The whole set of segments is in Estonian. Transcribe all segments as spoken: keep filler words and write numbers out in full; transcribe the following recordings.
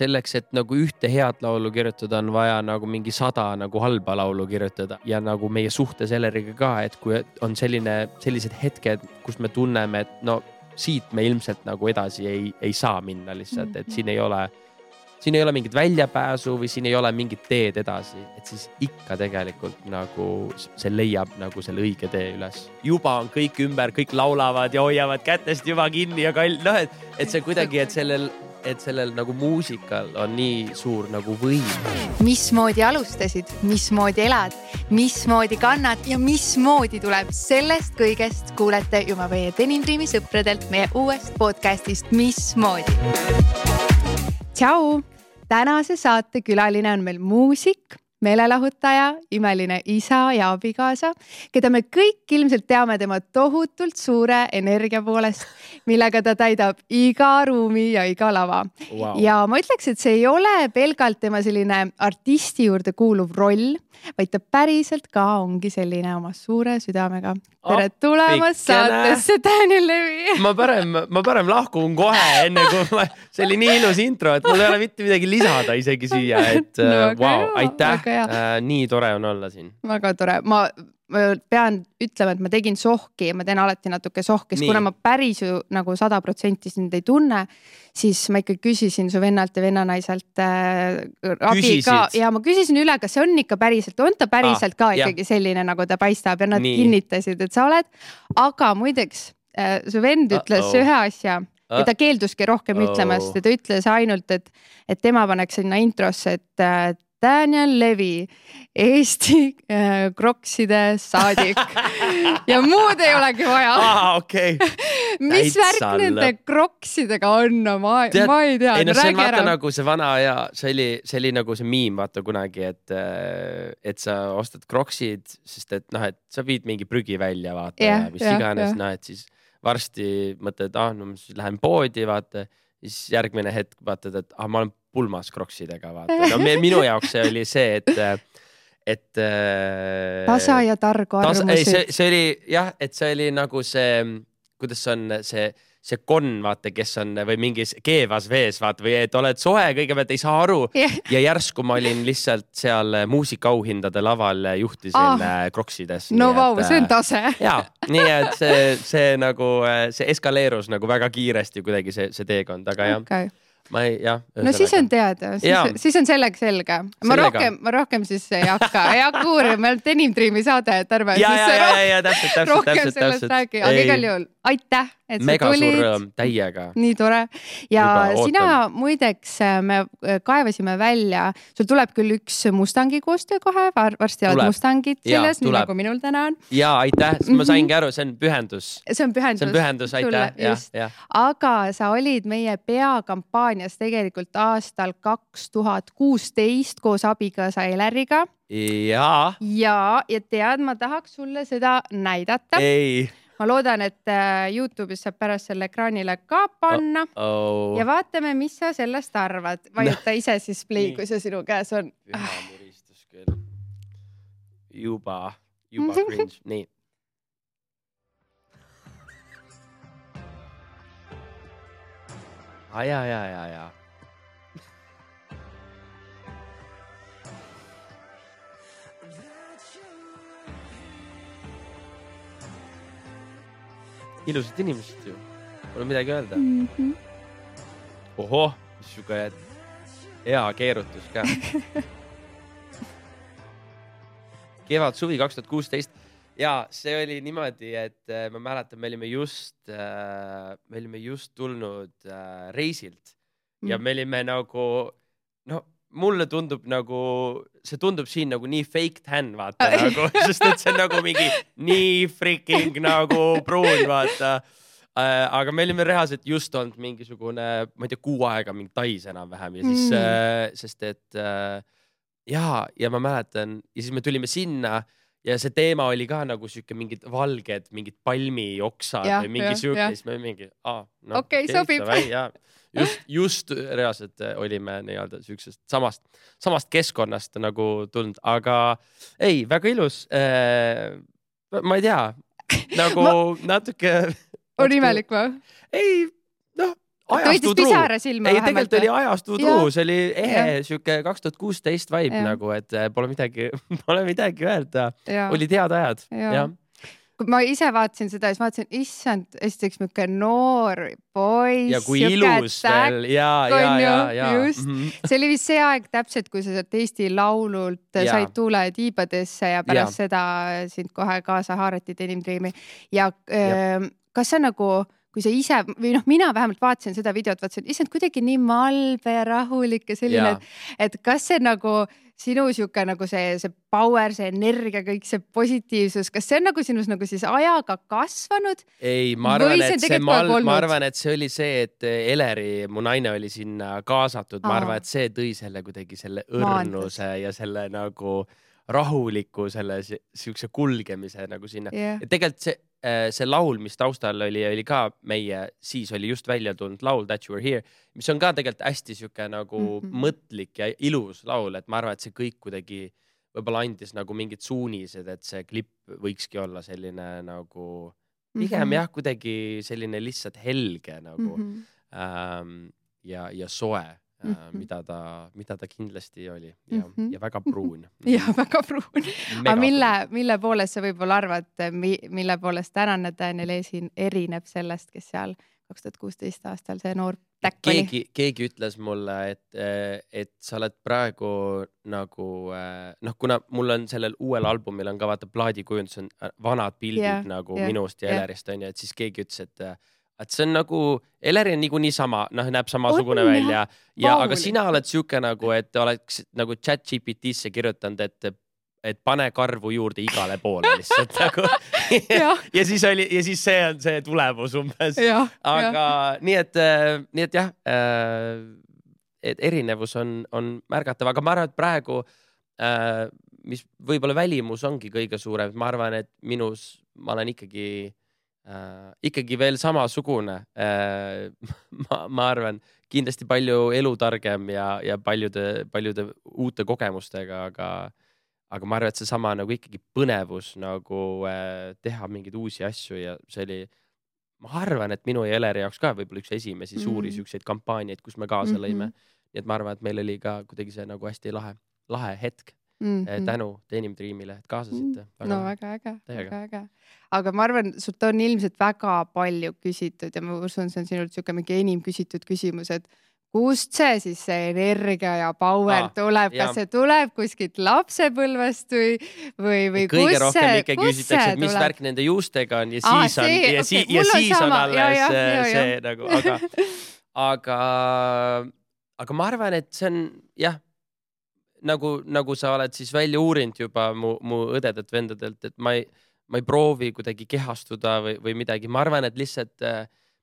selleks, et nagu ühte head laulu kirjutada, on vaja nagu mingi sada nagu halba laulu kirjutada ja nagu meie suhtes Eleriga ka, et kui on selline, sellised hetked, kus me tunneme, et no siit me ilmselt nagu edasi ei, ei saa minna lihtsalt, et siin ei ole siin ei ole mingit väljapääsu või siin ei ole mingit teed edasi, et siis ikka tegelikult nagu see leiab nagu selle õige tee üles. Juba on kõik ümber, kõik laulavad ja hoiavad kätest juba kinni ja kall... No, et, et see kuidagi, et sellel, et sellel nagu muusikal on nii suur nagu võim. Mismoodi alustasid, mismoodi elad, mismoodi kannad ja mismoodi tuleb sellest kõigest kuulete juba meie Denim Dreami sõpradelt meie uuest podcastist Mismoodi. Tšau! Tänase saate külaline on meil muusik, meelelahutaja, imeline isa ja abikaasa, keda me kõik ilmselt teame tema tohutult suure energia poolest, millega ta täidab iga ruumi ja iga lava. Wow. Ja ma ütleks, et see ei ole pelgalt tema selline artisti juurde kuuluv roll, vaid ta päriselt ka ongi selline oma suure südamega. Tere tulemast saatesse, Daniel Levi! Ma parem, ma parem lahkun kohe enne, kui ma, see oli nii ilus intro, et mul ei ole mitte midagi lisada isegi siia, et no, wow, aitäh, äh, nii tore on olla siin. Väga tore. Ma, ma pean ütlema, et ma tegin sohki ja ma teen alati natuke sohki, sest kuna ma päris ju nagu sada protsenti sind ei tunne, siis ma ikka küsisin su vennalt ja vennanaiselt äh, abi ka. Ja ma küsisin üle, kas see on ikka päriselt, on ta päriselt ah, ka ikkagi jah. Selline, nagu ta paistab ja nad nii. Kinnitasid, et sa oled. Aga muideks, äh, su vend ütles Uh-oh. Ühe asja ja ta keelduski rohkem Uh-oh. Ütlemast ja ta ütles ainult, et, et tema paneks sinna introsse, et äh, Daniel Levi, Eesti äh, krokside saadik ja muud ei olegi vaja. Ah, okei. Okay. Mis värk nende kroksidega on? No, ma, Tead, ma ei tea. Ei, no, see on vaata nagu see vana ja see oli, see oli nagu see miim vaata kunagi, et, et sa ostad kroksid, sest et noh, et sa viid mingi prügi välja vaata yeah, ja mis yeah, iganes, yeah. No, et siis varsti mõtled, ah, no siis lähen poodi vaata, siis järgmine hetk vaatad, et ah, ma olen pulmas kroksidega vaata. No minu jaoks see oli see, et et tasa ja targu arvamused. Ei, see, see oli jah, et see oli nagu see, kuidas on see, see konn vaata, kes on või mingis keevas vees vaata või et oled soe, kõigepealt ei saa aru yeah. Ja järsku ma olin lihtsalt seal muusikaauhindade laval juhtisin ah. kroksides. No vau, wow, see on tase. Ja, nii et see, see nagu see eskaleerus nagu väga kiiresti kuidagi see, see teekond, aga jah. Okay. Ma ei, jah, no siis on teada, siis, siis on sellega selge. Ma rohkem, ma rohkem siis ei hakka, ei hakka uurima, meil on Denim Dreami saade, et arva. Ja, ja, ja, ja, ja, täpselt, täpselt, rohkem täpselt, sellest täpselt. Räägi, aga igal juhul aitäh, et mega sa tulid. Mega suur rõõm, täiega. Nii tore. Ja Juba sina ootan. Muideks me kaevasime välja, sul tuleb küll üks Mustangi koostöö kohe, varsti oled Mustangid selles, nii nagu minul täna on. Ja, aitäh, ma saingi aru, see on pühendus. See on pühendus. See on pühendus, aitäh. Ja, ja. Aga sa olid meie peakampaanias tegelikult aastal kaks tuhat kuusteist koos abikaasa Eleriga. Ja. Ja, ja tead, ma tahaks sulle seda näidata. Ei. Ma loodan, et YouTube'is saab pärast selle ekraanile ka panna. Uh-oh. Ja vaatame, mis sa sellest arvad. Vajuta ise siis play, kui see sinu käes on. Püha muristus küll. Juba, juba cringe. Nii. Aja, ja, ja, ja. Ilusad inimesed ju. Pole midagi öelda. Mm-hmm. Oho, mis suga hea keerutus ka. Kevad suvi kaks tuhat kuusteist. Ja see oli niimoodi, et ma mäletan, me olime just, me olime just tulnud reisilt ja me olime nagu, no mulle tundub nagu, see tundub siin nagu nii fake tan, vaata, nagu, sest et see on nagu mingi nii freaking nagu pruun, vaata. Aga me olime reaalselt just olnud mingisugune, ma ei tea, kuu aega mingi tais enam vähem ja siis, mm. sest et ja, ja ma mäletan ja siis me tulime sinna ja see teema oli ka nagu siuke mingid valged, mingid palmioksad ja, või mingi siuke, siis me mingi, ah, no, okei, okay, sobib. Ja, just, just reaalselt olime nii-öelda siuksest samast, samast keskkonnast nagu tulnud, aga ei, väga ilus. Ma ei tea, nagu ma... natuke... On imelik või? Ei, noh, ajastu truu. Ei, tegelikult oli ajastu truu, see oli ehe siuke kaks tuhat kuusteist vibe nagu, et pole midagi, pole midagi öelda. Olid head ajad. Ja. Ma ise vaatasin seda ja siis vaatasin, issand, esiteks mingi noor poiss. Ja kui ilus veel. Ja, ja, ja, ja. Just. Mm -hmm. See oli vist see aeg täpselt, kui sa sealt Eesti Laulult ja. said tuule tiibadesse ja pärast ja. seda sind kohe kaasa haarati Denim Dreami. Ja, ja. kas see nagu, kui sa ise, või noh, mina vähemalt vaatasin seda videot, vaatasin, issand, kuidagi nii malbe ja rahulik ja selline, ja. et, et kas see nagu sinu siuke nagu see, see power, see energia, kõik see positiivsus, kas see on nagu sinus nagu siis ajaga kasvanud? Ei, ma arvan, et see, ma, ma arvan, et see oli see, et Eleri, mu naine oli sinna kaasatud. Ma arvan, et see tõi selle kuidagi selle õrnuse Maantas. Ja selle nagu rahuliku, selle siukse kulgemise nagu sinna. Yeah. Tegelikult see, see laul, mis taustal oli, oli ka meie, siis oli just välja tulnud laul That You Were Here, mis on ka tegelikult hästi siuke nagu mm -hmm. mõtlik ja ilus laul, et ma arvan, et see kõik kuidagi võib-olla andis nagu mingid suunised, et see klipp võikski olla selline nagu pigem mm -hmm. jah, kuidagi selline lihtsalt helge nagu mm -hmm. ähm, ja, ja soe. Mm -hmm. mida ta, mida ta kindlasti oli ja, mm -hmm. ja väga pruun. Ja väga pruun. Aga mille, mille poolest sa võib-olla arvad, mille poolest tänane Daniel Esin erineb sellest, kes seal kaks tuhat kuusteist aastal see noor täkk oli? Keegi, keegi ütles mulle, et, et sa oled praegu nagu, noh, kuna mul on sellel uuel albumil on ka vaata plaadikujundus on vanad pildid yeah, nagu yeah, minust ja yeah. Elerist on ja et siis keegi ütles, et et see on nagu, Eleri on niikuinii sama, noh, näeb samasugune on, välja. Ja, aga sina oled siuke nagu, et oleks nagu chat G P T-sse kirjutanud, et, et pane karvu juurde igale poole lihtsalt nagu. ja. ja siis oli, ja siis see on see tulemus umbes. Ja, aga ja. nii et, nii et jah, et erinevus on, on märgatav, aga ma arvan, et praegu, mis võib-olla välimus ongi kõige suurem, ma arvan, et minus, ma olen ikkagi Uh, ikkagi veel samasugune uh, ma, ma arvan kindlasti palju elutargem ja, ja paljude, paljude uute kogemustega, aga, aga ma arvan, et see sama nagu ikkagi põnevus nagu uh, teha mingeid uusi asju ja see oli, ma arvan, et minu ja Eleri jaoks ka võib-olla üks esimesi mm -hmm. suuri siukseid kampaaniaid, kus me kaasa lõime. Mm -hmm. Nii et ma arvan, et meil oli ka kuidagi see nagu hästi lahe, lahe hetk. Mm -hmm. tänu Denim Dreamile, et kaasasite. Väga no väga äge, väga äge. Aga ma arvan, sult on ilmselt väga palju küsitud ja ma usun, see on sinult siuke mingi enim küsitud küsimus, et kust see siis see energia ja power ah, tuleb, kas see tuleb kuskilt lapsepõlvest või, või, või kõige kus rohkem see, ikka küsitakse, et mis tuleb? Värk nende juustega on ja siis ah, see, on, ja, okay, si ja siis on, on alles ja, ja, see, ja, ja. see nagu, aga, aga, aga ma arvan, et see on jah, nagu, nagu sa oled siis välja uurinud juba mu, mu õdedelt vendadelt, et ma ei, ma ei proovi kuidagi kehastuda või, või midagi. Ma arvan, et lihtsalt,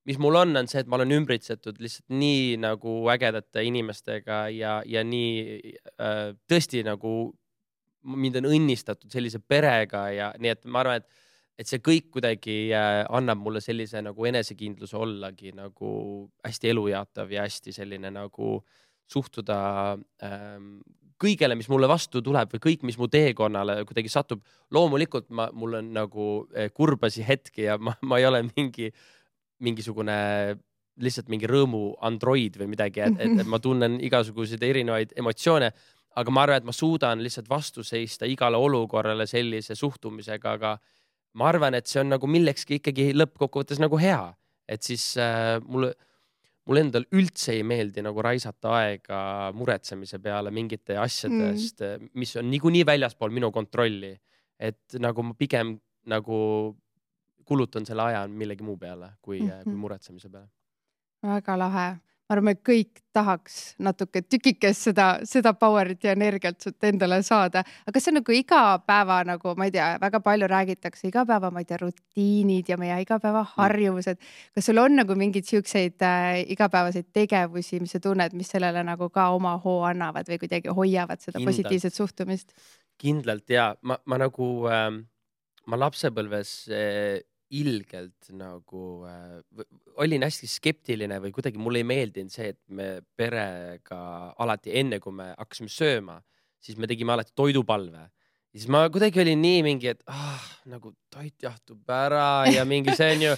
mis mul on, on see, et ma olen ümbritsetud lihtsalt nii nagu ägedate inimestega ja, ja nii äh, tõesti nagu mind on õnnistatud sellise perega ja nii, et ma arvan, et, et see kõik kuidagi äh, annab mulle sellise nagu enesekindluse ollagi nagu hästi elujaatav ja hästi selline nagu suhtuda ähm, kõigele, mis mulle vastu tuleb või kõik, mis mu teekonnale kuidagi satub. Loomulikult ma, mul on nagu kurbasi hetki ja ma, ma ei ole mingi, mingisugune lihtsalt mingi rõõmu android või midagi, et, et, et ma tunnen igasuguseid erinevaid emotsioone, aga ma arvan, et ma suudan lihtsalt vastu seista igale olukorrale sellise suhtumisega, aga ma arvan, et see on nagu millekski ikkagi lõppkokkuvõttes nagu hea, et siis äh, mulle Mul endal üldse ei meeldi nagu raisata aega muretsemise peale mingite asjadest, mm. mis on niikuinii väljaspool minu kontrolli. Et nagu ma pigem nagu kulutan selle aja millegi muu peale kui, mm -hmm. kui muretsemise peale. Väga lahe. Ma arvan, et kõik tahaks natuke tükikest seda, seda powerit ja energiat sult endale saada. Aga see on nagu iga päeva, nagu ma ei tea, väga palju räägitakse iga päeva, ma ei tea, rutiinid ja meie igapäeva harjumused. Kas sul on nagu mingid siukseid äh, igapäevaseid tegevusi, mis sa tunned, mis sellele nagu ka oma hoo annavad või kuidagi hoiavad seda Kindlalt. Positiivset suhtumist? Kindlalt ja ma, ma nagu, äh, ma lapsepõlves äh, ilgelt nagu äh, olin hästi skeptiline või kuidagi mulle ei meeldinud see, et me perega alati enne, kui me hakkasime sööma, siis me tegime alati toidupalve. Siis ma kuidagi olin nii mingi, et ah, nagu toit jahtub ära ja mingi see on ju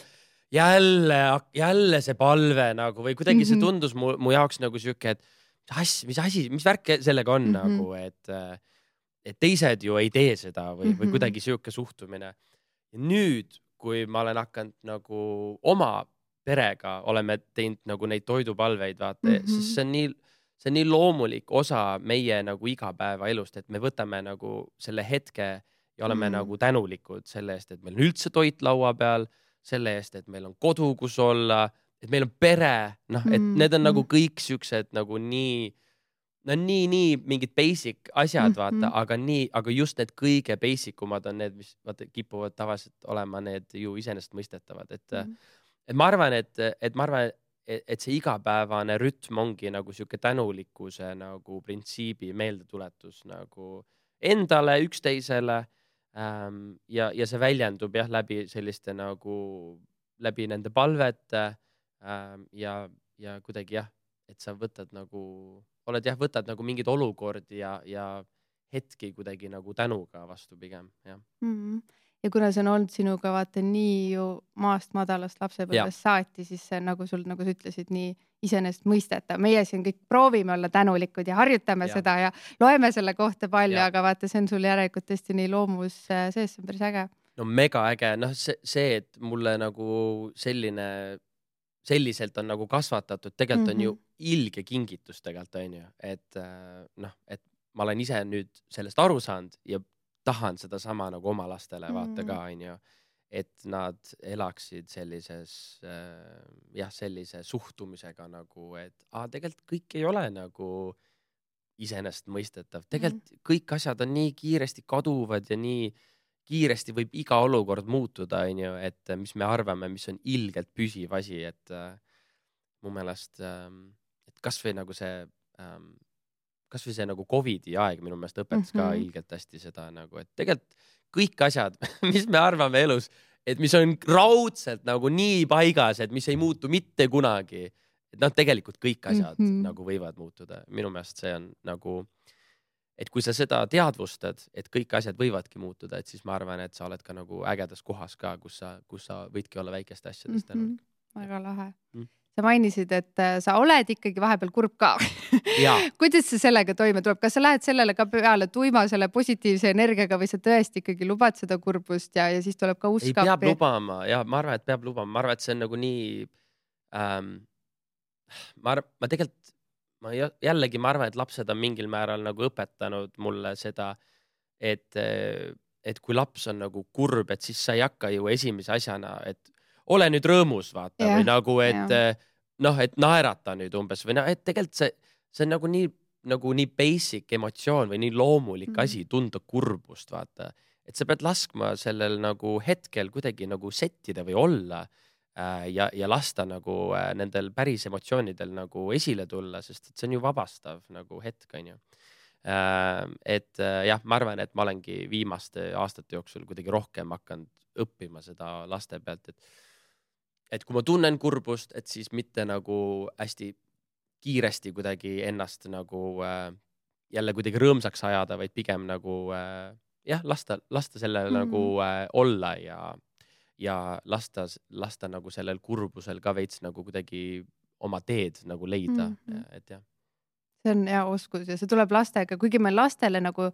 jälle, jälle see palve nagu või kuidagi mm -hmm. see tundus mu, mu jaoks nagu siuke, et mis asi, mis asi, mis värk sellega on mm -hmm. nagu, et, et teised ju ei tee seda või, mm -hmm. või kuidagi siuke suhtumine. Ja nüüd, kui ma olen hakanud nagu oma perega oleme teinud nagu neid toidupalveid, vaata mm, -hmm. siis see on nii, see on nii loomulik osa meie nagu igapäevaelust, et me võtame nagu selle hetke ja oleme mm -hmm. nagu tänulikud selle eest, et meil on üldse toit laua peal, selle eest, et meil on kodu, kus olla, et meil on pere, noh, et need on mm -hmm. nagu kõik siuksed nagu nii, no nii, nii mingid basic asjad, vaata, mm -hmm. aga nii, aga just need kõige basic umad on need, mis vaata kipuvad tavaliselt olema need ju iseenesestmõistetavad, et mm, -hmm. et ma arvan, et, et ma arvan, et, et see igapäevane rütm ongi nagu siuke tänulikkuse nagu printsiibi meeldetuletus nagu endale, üksteisele ähm, ja, ja see väljendub jah läbi selliste nagu, läbi nende palvete ähm, ja, ja kuidagi jah, et sa võtad nagu, oled jah, võtad nagu mingid olukordi ja, ja hetki kuidagi nagu tänuga vastu pigem, jah mm. -hmm. Ja kuna see on olnud sinuga vaata nii ju maast madalast lapsepõlvest saati, siis see nagu sul, nagu sa ütlesid, nii iseenesest mõistetav. Meie siin kõik proovime olla tänulikud ja harjutame ja. seda ja loeme selle kohta palju, aga vaata, see on sul järelikult tõesti nii loomus sees, see on päris äge. No mega äge, noh see, see, et mulle nagu selline, selliselt on nagu kasvatatud, tegelikult mm -hmm. on ju ilge kingitus tegelikult on ju, et noh, et ma olen ise nüüd sellest aru saanud ja tahan seda sama nagu oma lastele vaata ka, on ju, et nad elaksid sellises äh, jah, sellise suhtumisega nagu, et ah, tegelikult kõik ei ole nagu iseenesestmõistetav. Tegelikult mm. kõik asjad on nii kiiresti kaduvad ja nii kiiresti võib iga olukord muutuda, on ju, et mis me arvame, mis on ilgelt püsiv asi, et äh, mu meelest, äh, et kas või nagu see äh, kas või see nagu Covidi aeg minu meelest õpetas mm -hmm. ka ilgelt hästi seda nagu, et tegelikult kõik asjad, mis me arvame elus, et mis on raudselt nagu nii paigas, et mis ei muutu mitte kunagi, et noh, tegelikult kõik asjad mm -hmm. nagu võivad muutuda. Minu meelest see on nagu, et kui sa seda teadvustad, et kõik asjad võivadki muutuda, et siis ma arvan, et sa oled ka nagu ägedas kohas ka, kus sa, kus sa võidki olla väikeste asjadest tänulik. Mm -hmm. Väga lahe mm. Sa mainisid, et sa oled ikkagi vahepeal kurb ka. Kuidas see sellega toime tuleb? Kas sa lähed sellele ka peale tuima selle positiivse energiaga või sa tõesti ikkagi lubad seda kurbust ja, ja siis tuleb ka usk? Ei, peab lubama ja ma arvan, et peab lubama. Ma arvan, et see on nagu nii ähm, ma, arv, ma tegelikult ma jällegi ma arvan, et lapsed on mingil määral nagu õpetanud mulle seda, et, et kui laps on nagu kurb, et siis sa ei hakka ju esimese asjana, et ole nüüd rõõmus, vaata yeah, või nagu, et yeah. noh, et naerata nüüd umbes või noh, et tegelikult see, see on nagu nii, nagu nii basic emotsioon või nii loomulik mm. asi tunda kurbust, vaata, et sa pead laskma sellel nagu hetkel kuidagi nagu settida või olla äh, ja, ja lasta nagu äh, nendel päris emotsioonidel nagu esile tulla, sest et see on ju vabastav nagu hetk, on ju. Äh, et äh, jah, ma arvan, et ma olengi viimaste aastate jooksul kuidagi rohkem hakanud õppima seda laste pealt, et et kui ma tunnen kurbust, et siis mitte nagu hästi kiiresti kuidagi ennast nagu äh, jälle kuidagi rõõmsaks ajada, vaid pigem nagu äh, jah, lasta, lasta sellel mm. nagu äh, olla ja, ja lasta, lasta nagu sellel kurbusel ka veits nagu kuidagi oma teed nagu leida mm. -hmm. et jah. See on hea oskus ja see tuleb lastega, kuigi me lastele nagu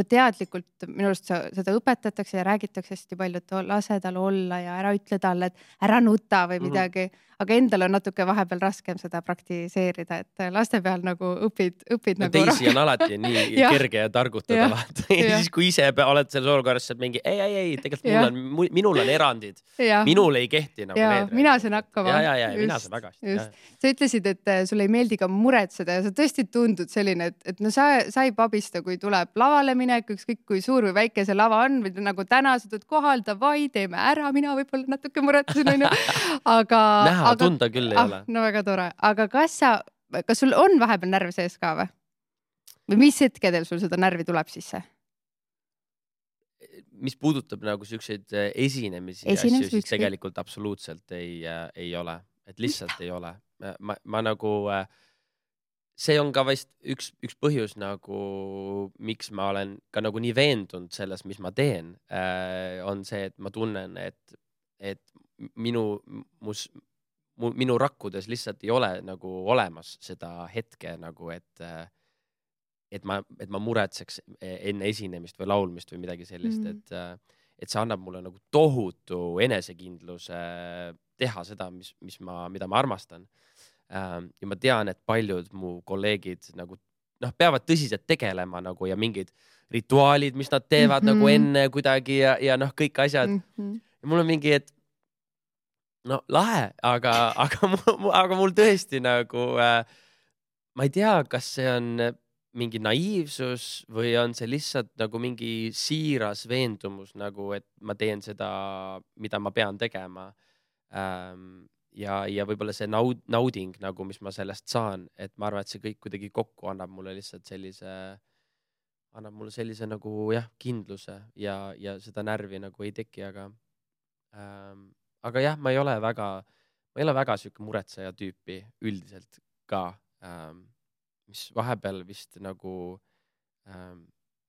teadlikult minu arust seda õpetatakse ja räägitakse hästi palju, et lase tal olla ja ära ütle talle, et ära nuta või midagi, mm -hmm. aga endal on natuke vahepeal raskem seda praktiseerida, et laste peal nagu õpid, õpid no, nagu teisi rohkem. On alati nii ja. kerge ja targutada ja. vaata. Ja siis kui ise oled selles olukorras, saad mingi ei, ei, ei, tegelikult mul on, minul on erandid. Ja. Minul ei kehti nagu ja. need. Mina saan hakkama. Ja, ja, ja, ja mina saan väga hästi. Sa ütlesid, et sulle ei meeldi ka muretseda ja sa tõesti tundud selline, et, et no sa, sa ei pabista, kui tuleb lavale minek, ükskõik kui suur või väike see lava on, või nagu täna sa tuled kohal, davai, teeme ära, mina võib-olla natuke muretsen, on ju. Aga, näha, aga, tunda küll ei ah, ole. No väga tore. Aga kas sa, kas sul on vahepeal närv sees ka või? Või mis hetkedel sul seda närvi tuleb sisse? Mis puudutab nagu siukseid esinemisi ja asju, siis tegelikult absoluutselt ei, ei ole. Et lihtsalt ei ole. Ma, ma nagu... See on ka vast üks, üks põhjus nagu, miks ma olen ka nagu nii veendunud selles, mis ma teen, äh, on see, et ma tunnen, et, et minu, mus, minu rakkudes lihtsalt ei ole nagu olemas seda hetke nagu, et, et ma, et ma muretseks enne esinemist või laulmist või midagi sellist, mm. et, et see annab mulle nagu tohutu enesekindluse teha seda, mis, mis ma, mida ma armastan. Ja ma tean, et paljud mu kolleegid nagu noh, peavad tõsiselt tegelema nagu ja mingid rituaalid, mis nad teevad mm -hmm. nagu enne kuidagi ja, ja noh, kõik asjad. Mm -hmm. Ja mul on mingi, et no lahe, aga, aga, aga mul tõesti nagu äh, ma ei tea, kas see on mingi naiivsus või on see lihtsalt nagu mingi siiras veendumus nagu, et ma teen seda, mida ma pean tegema. Ähm, ja, ja võib-olla see naud, nauding nagu, mis ma sellest saan, et ma arvan, et see kõik kuidagi kokku annab mulle lihtsalt sellise, annab mulle sellise nagu jah, kindluse ja, ja seda närvi nagu ei teki, aga ähm, aga jah, ma ei ole väga, ma ei ole väga siuke muretseja tüüpi üldiselt ka, ähm, mis vahepeal vist nagu ähm,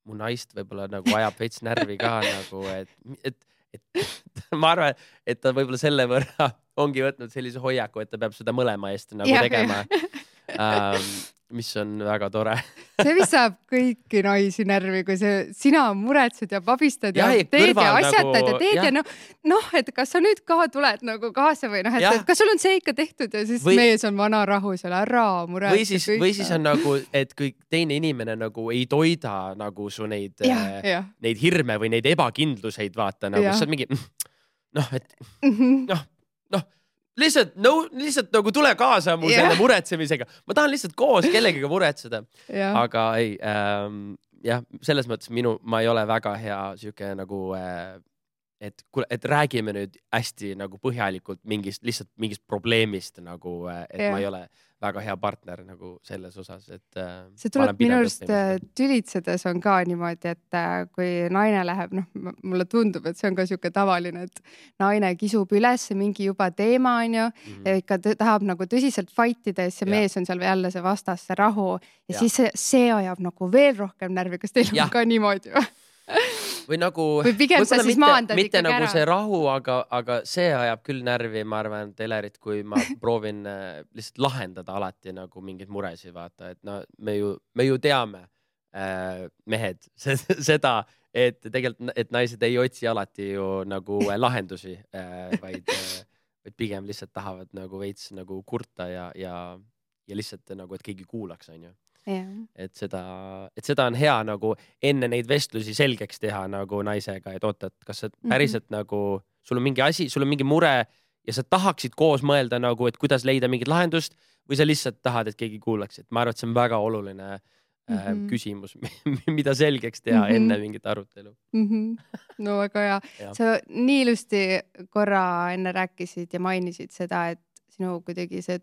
mu naist võib-olla nagu ajab veits närvi ka nagu, et, et, et ma arvan, et ta võib-olla selle võrra ongi võtnud sellise hoiaku, et ta peab seda mõlema eest nagu ja, tegema, ähm, mis on väga tore. See vist saab kõiki naisi närvi, kui see, sina muretsed ja pabistad ja, ja teed ja asjatad nagu, ja teed ja, ja noh, noh, et kas sa nüüd ka tuled nagu kaasa või noh, et, et kas sul on see ikka tehtud ja siis või, mees on vana rahu seal ära muretsed. Või siis, või siis on nagu, et kui teine inimene nagu ei toida nagu su neid, ja, ja. neid hirme või neid ebakindluseid vaata nagu, sa oled mingi noh, et noh, noh, lihtsalt, no, lihtsalt nagu tule kaasa mu yeah. selle muretsemisega. Ma tahan lihtsalt koos kellegiga muretseda. Yeah. Aga ei, ähm, jah, selles mõttes minu, ma ei ole väga hea siuke nagu, äh, et, et räägime nüüd hästi nagu põhjalikult mingist, lihtsalt mingist probleemist nagu, et yeah. ma ei ole väga hea partner nagu selles osas, et äh, see tuleb minu arust tülitsedes on ka niimoodi, et äh, kui naine läheb, noh, mulle tundub, et see on ka siuke tavaline, et naine kisub üles mingi juba teema, on ju, mm -hmm. ja ikka tahab nagu tõsiselt fightida ja see ja. mees on seal jälle see vastas, see rahu ja, ja. siis see, see ajab nagu veel rohkem närvi, kas teil ja. on ka niimoodi või? Või nagu, või pigem sa siis maandad mitte ikkagi nagu ära. See rahu, aga, aga see ajab küll närvi, ma arvan, Telerit, kui ma proovin äh, lihtsalt lahendada alati nagu mingeid muresid, vaata, et no me ju, me ju teame äh, mehed seda, et tegelikult, et naised ei otsi alati ju nagu lahendusi äh, vaid, äh, vaid pigem lihtsalt tahavad nagu veits nagu kurta ja, ja, ja lihtsalt nagu, et keegi kuulaks, on ju. Yeah. Et seda, et seda on hea nagu enne neid vestlusi selgeks teha nagu naisega, et oota, et kas sa päriselt mm -hmm. nagu, sul on mingi asi, sul on mingi mure ja sa tahaksid koos mõelda nagu, et kuidas leida mingit lahendust või sa lihtsalt tahad, et keegi kuulaks, et ma arvan, et see on väga oluline mm -hmm. äh, küsimus, mida selgeks teha mm -hmm. enne mingit arutelu mm. -hmm. No väga hea. Sa nii ilusti korra enne rääkisid ja mainisid seda, et sinu kuidagi see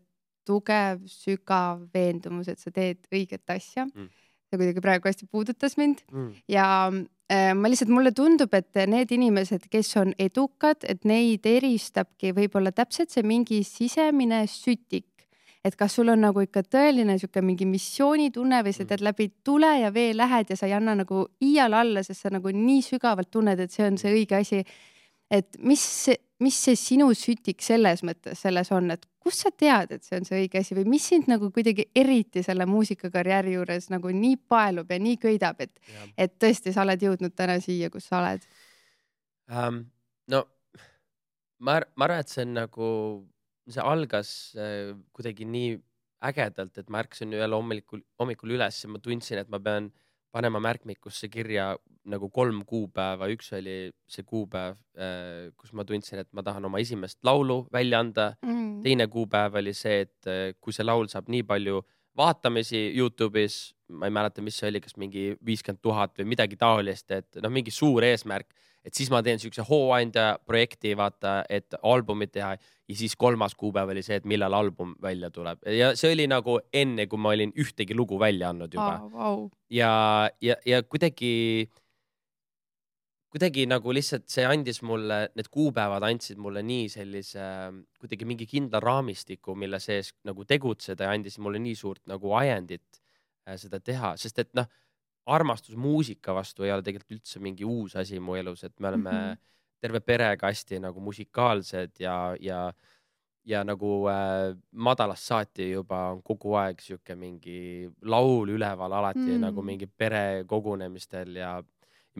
tugev, sügav veendumus, et sa teed õiget asja. Mm. See kuidagi praegu hästi puudutas mind mm. ja äh, ma lihtsalt, mulle tundub, et need inimesed, kes on edukad, et neid eristabki võib-olla täpselt see mingi sisemine sütik, et kas sul on nagu ikka tõeline siuke mingi missioonitunne või sa teed läbi tule ja vee lähed ja sa ei anna nagu iial alla, sest sa nagu nii sügavalt tunned, et see on see õige asi. Et mis, mis see sinu sütik selles mõttes selles on, et kus sa tead, et see on see õige asi või mis sind nagu kuidagi eriti selle muusikakarjääri juures nagu nii paelub ja nii köidab, et, et tõesti sa oled jõudnud täna siia, kus sa oled? Um, no ma, ma arvan, et see on nagu, see algas äh, kuidagi nii ägedalt, et ma ärkasin ühel hommikul, hommikul üles ja ma tundsin, et ma pean panema märkmikusse kirja nagu kolm kuupäeva. Üks oli see kuupäev, kus ma tundsin, et ma tahan oma esimest laulu välja anda. Mm. Teine kuupäev oli see, et kui see laul saab nii palju vaatamisi YouTube'is, ma ei mäleta, mis see oli, kas mingi viiskümmend tuhat või midagi taolist, et noh, mingi suur eesmärk, et siis ma teen siukse hooandja projekti, vaata, et albumit teha ja siis kolmas kuupäev oli see, et millal album välja tuleb. Ja see oli nagu enne, kui ma olin ühtegi lugu välja andnud juba. Oh, wow. Ja, ja, ja kuidagi, kuidagi nagu lihtsalt see andis mulle, need kuupäevad andsid mulle nii sellise, kuidagi mingi kindla raamistiku, mille sees nagu tegutseda ja andis mulle nii suurt nagu ajendit seda teha, sest et noh, armastus muusika vastu ei ole tegelikult üldse mingi uus asi mu elus, et me oleme mm -hmm. terve perega hästi nagu musikaalsed ja, ja ja nagu äh, madalast saati juba on kogu aeg siuke mingi laul üleval alati mm. nagu mingi pere kogunemistel ja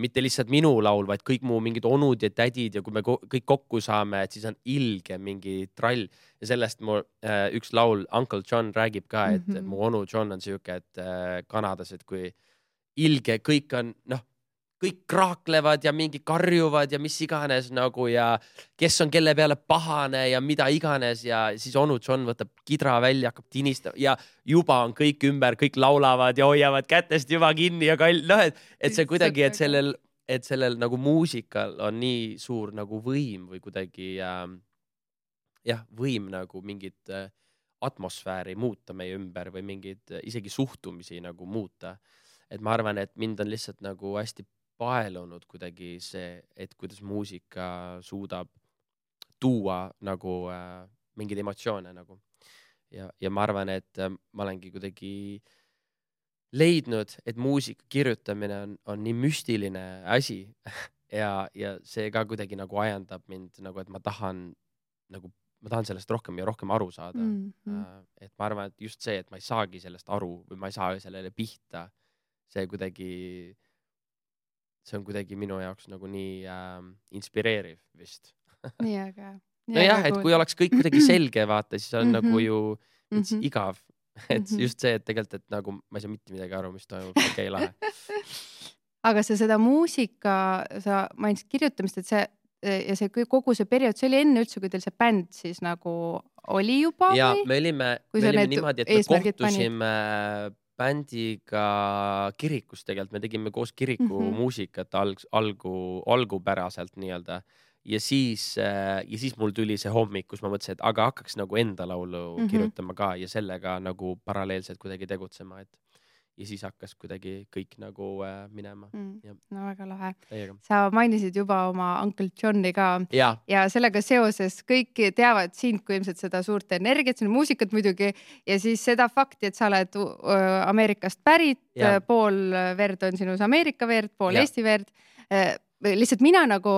mitte lihtsalt minu laul, vaid kõik mu mingid onud ja tädid ja kui me ko kõik kokku saame, et siis on ilge mingi trall ja sellest mu äh, üks laul Uncle John räägib ka, et mm -hmm. mu onu John on siuke, et äh, Kanadas, et kui ilge, kõik on noh, kõik kraaklevad ja mingi karjuvad ja mis iganes nagu ja kes on kelle peale pahane ja mida iganes ja siis onu John võtab kidra välja, hakkab tinistama ja juba on kõik ümber, kõik laulavad ja hoiavad kätest juba kinni ja kall-, noh, et, et see kuidagi, et sellel, et sellel nagu muusikal on nii suur nagu võim või kuidagi äh, jah, võim nagu mingit äh, atmosfääri muuta meie ümber või mingid äh, isegi suhtumisi nagu muuta. Et ma arvan, et mind on lihtsalt nagu hästi paelunud kuidagi see, et kuidas muusika suudab tuua nagu äh, mingeid emotsioone nagu. Ja, ja ma arvan, et äh, ma olengi kuidagi leidnud, et muusika kirjutamine on, on nii müstiline asi ja, ja see ka kuidagi nagu ajandab mind nagu, et ma tahan nagu, ma tahan sellest rohkem ja rohkem aru saada. Mm -hmm. äh, et ma arvan, et just see, et ma ei saagi sellest aru või ma ei saa sellele pihta, see kuidagi see on kuidagi minu jaoks nagu nii äh, inspireeriv vist. Nii aga. Nojah, et kui oleks kõik kuidagi selge, vaata, siis on mm -hmm. nagu ju mm -hmm. igav. Et mm -hmm. just see, et tegelikult, et nagu ma ei saa mitte midagi aru, mis toimub, okei okay, lahe. Aga sa seda muusika, sa mainisid kirjutamist, et see ja see kogu see periood, see oli enne üldse, kui teil see bänd siis nagu oli juba? Ja või? me olime, me olime niimoodi, et me kohtusime panid? Bändiga kirikus tegelikult, me tegime koos kiriku mm -hmm. muusikat alg, algu, algupäraselt nii-öelda ja siis, ja siis mul tuli see hommik, kus ma mõtlesin, et aga hakkaks nagu enda laulu mm -hmm. kirjutama ka ja sellega nagu paralleelselt kuidagi tegutsema, et ja siis hakkas kuidagi kõik nagu äh, minema mm.. No väga lahe. Teiega. Sa mainisid juba oma Uncle Johni ka ja, ja sellega seoses kõik teavad sind kui ilmselt seda suurt energiat, sinu muusikat muidugi ja siis seda fakti, et sa oled äh, Ameerikast pärit, ja. Pool verd on sinus Ameerika verd, pool ja. Eesti verd äh, lihtsalt mina nagu,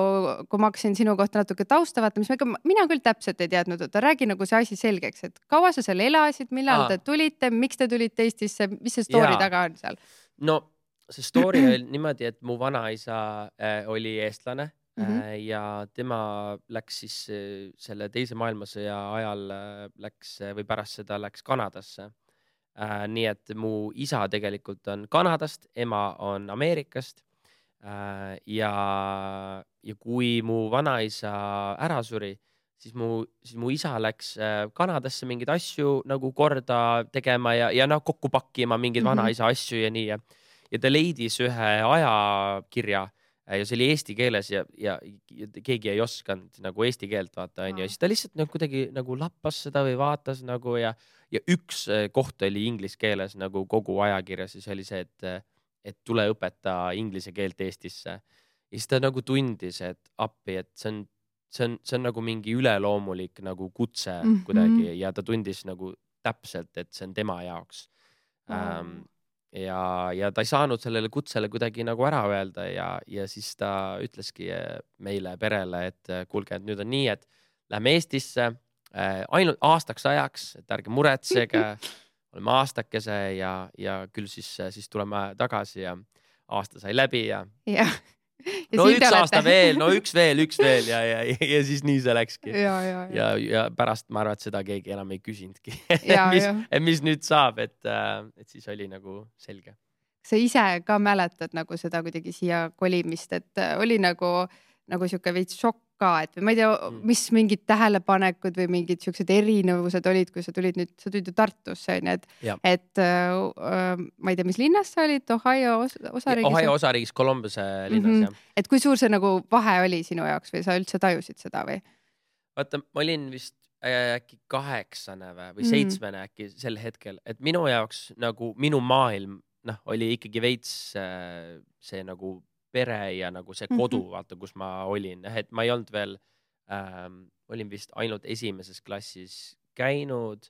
kui ma hakkasin sinu kohta natuke tausta vaatama, siis ma, mina küll täpselt ei teadnud, et räägi nagu see asi selgeks, et kaua sa seal elasid, millal Aa. te tulite, miks te tulite Eestisse, mis see story ja. taga on seal? No see story oli niimoodi, et mu vanaisa äh, oli eestlane mm -hmm. äh, ja tema läks siis äh, selle teise maailmasõja ajal äh, läks äh, või pärast seda läks Kanadasse. Äh, nii et mu isa tegelikult on Kanadast, ema on Ameerikast. Uh, ja, ja kui mu vanaisa ära suri, siis mu, siis mu isa läks uh, Kanadasse mingeid asju nagu korda tegema ja, ja noh, kokku pakkima mingeid mm -hmm. vanaisa asju ja nii. Ja, ja ta leidis ühe ajakirja ja see oli eesti keeles ja, ja, ja keegi ei osanud nagu eesti keelt vaata, onju. Ja siis ta lihtsalt nagu kuidagi nagu lappas seda või vaatas nagu ja, ja üks koht oli inglise keeles nagu kogu ajakirjas ja see oli see, et et tule õpeta inglise keelt Eestisse. Ja siis ta nagu tundis, et appi, et see on, see on, see on nagu mingi üleloomulik nagu kutse mm -hmm. kuidagi ja ta tundis nagu täpselt, et see on tema jaoks. Oh. Ähm, ja, ja ta ei saanud sellele kutsele kuidagi nagu ära öelda ja, ja siis ta ütleski meile perele, et kuulge, et nüüd on nii, et lähme Eestisse äh, ainult aastaks ajaks, et ärge muretsege. Oleme aastakese ja, ja küll siis, siis tuleme tagasi ja aasta sai läbi ja, ja. ja no üks aasta veel, no üks veel, üks veel ja, ja, ja, ja siis nii see läkski. Ja, ja, ja. Ja, ja pärast ma arvan, et seda keegi enam ei küsinudki, mis, mis nüüd saab, et, et siis oli nagu selge. Sa ise ka mäletad nagu seda kuidagi siia kolimist, et oli nagu, nagu siuke veits šokk ka, et või ma ei tea, mis mingid tähelepanekud või mingid siuksed erinevused olid, kui sa tulid nüüd, sa tulid ju Tartusse, on ju, et, et äh, ma ei tea, mis linnas sa olid, Ohio os osariigis? Ohio osariigis, Columbuse linnas, mm -hmm. jah. Et kui suur see nagu vahe oli sinu jaoks või sa üldse tajusid seda või? Vaata, ma olin vist äh, äkki kaheksane või, või seitsmene mm -hmm. äkki sel hetkel, et minu jaoks nagu minu maailm, noh, oli ikkagi veits äh, see nagu pere ja nagu see kodu mm, -hmm. vaata, kus ma olin, et ma ei olnud veel ähm,, olin vist ainult esimeses klassis käinud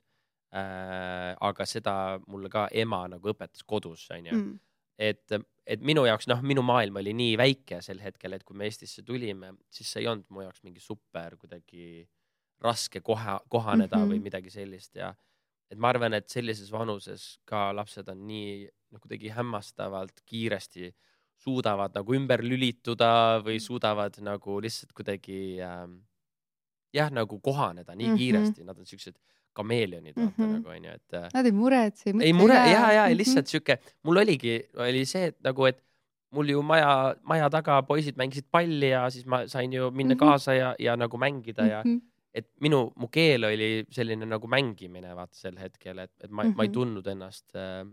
äh,, aga seda mulle ka ema nagu õpetas kodus, on ju mm.. et, et minu jaoks, noh, minu maailm oli nii väike sel hetkel, et kui me Eestisse tulime, siis see ei olnud mu jaoks mingi super kuidagi raske koha, kohaneda mm -hmm. või midagi sellist ja et ma arvan, et sellises vanuses ka lapsed on nii no, kuidagi hämmastavalt kiiresti suudavad nagu ümber lülituda või suudavad nagu lihtsalt kuidagi ähm, jah, nagu kohaneda nii mm -hmm. kiiresti, nad on siuksed kameelionid, vaata mm -hmm. nagu onju, et nad ei muretse, ei mõtle. Ei mure, ja, ja, ja lihtsalt siuke, mul oligi, oli see, et nagu, et mul ju maja, maja taga poisid mängisid palli ja siis ma sain ju minna mm -hmm. kaasa ja, ja nagu mängida ja mm -hmm. et minu, mu keel oli selline nagu mängimine vaata sel hetkel, et, et ma, mm -hmm. ma ei tundnud ennast äh,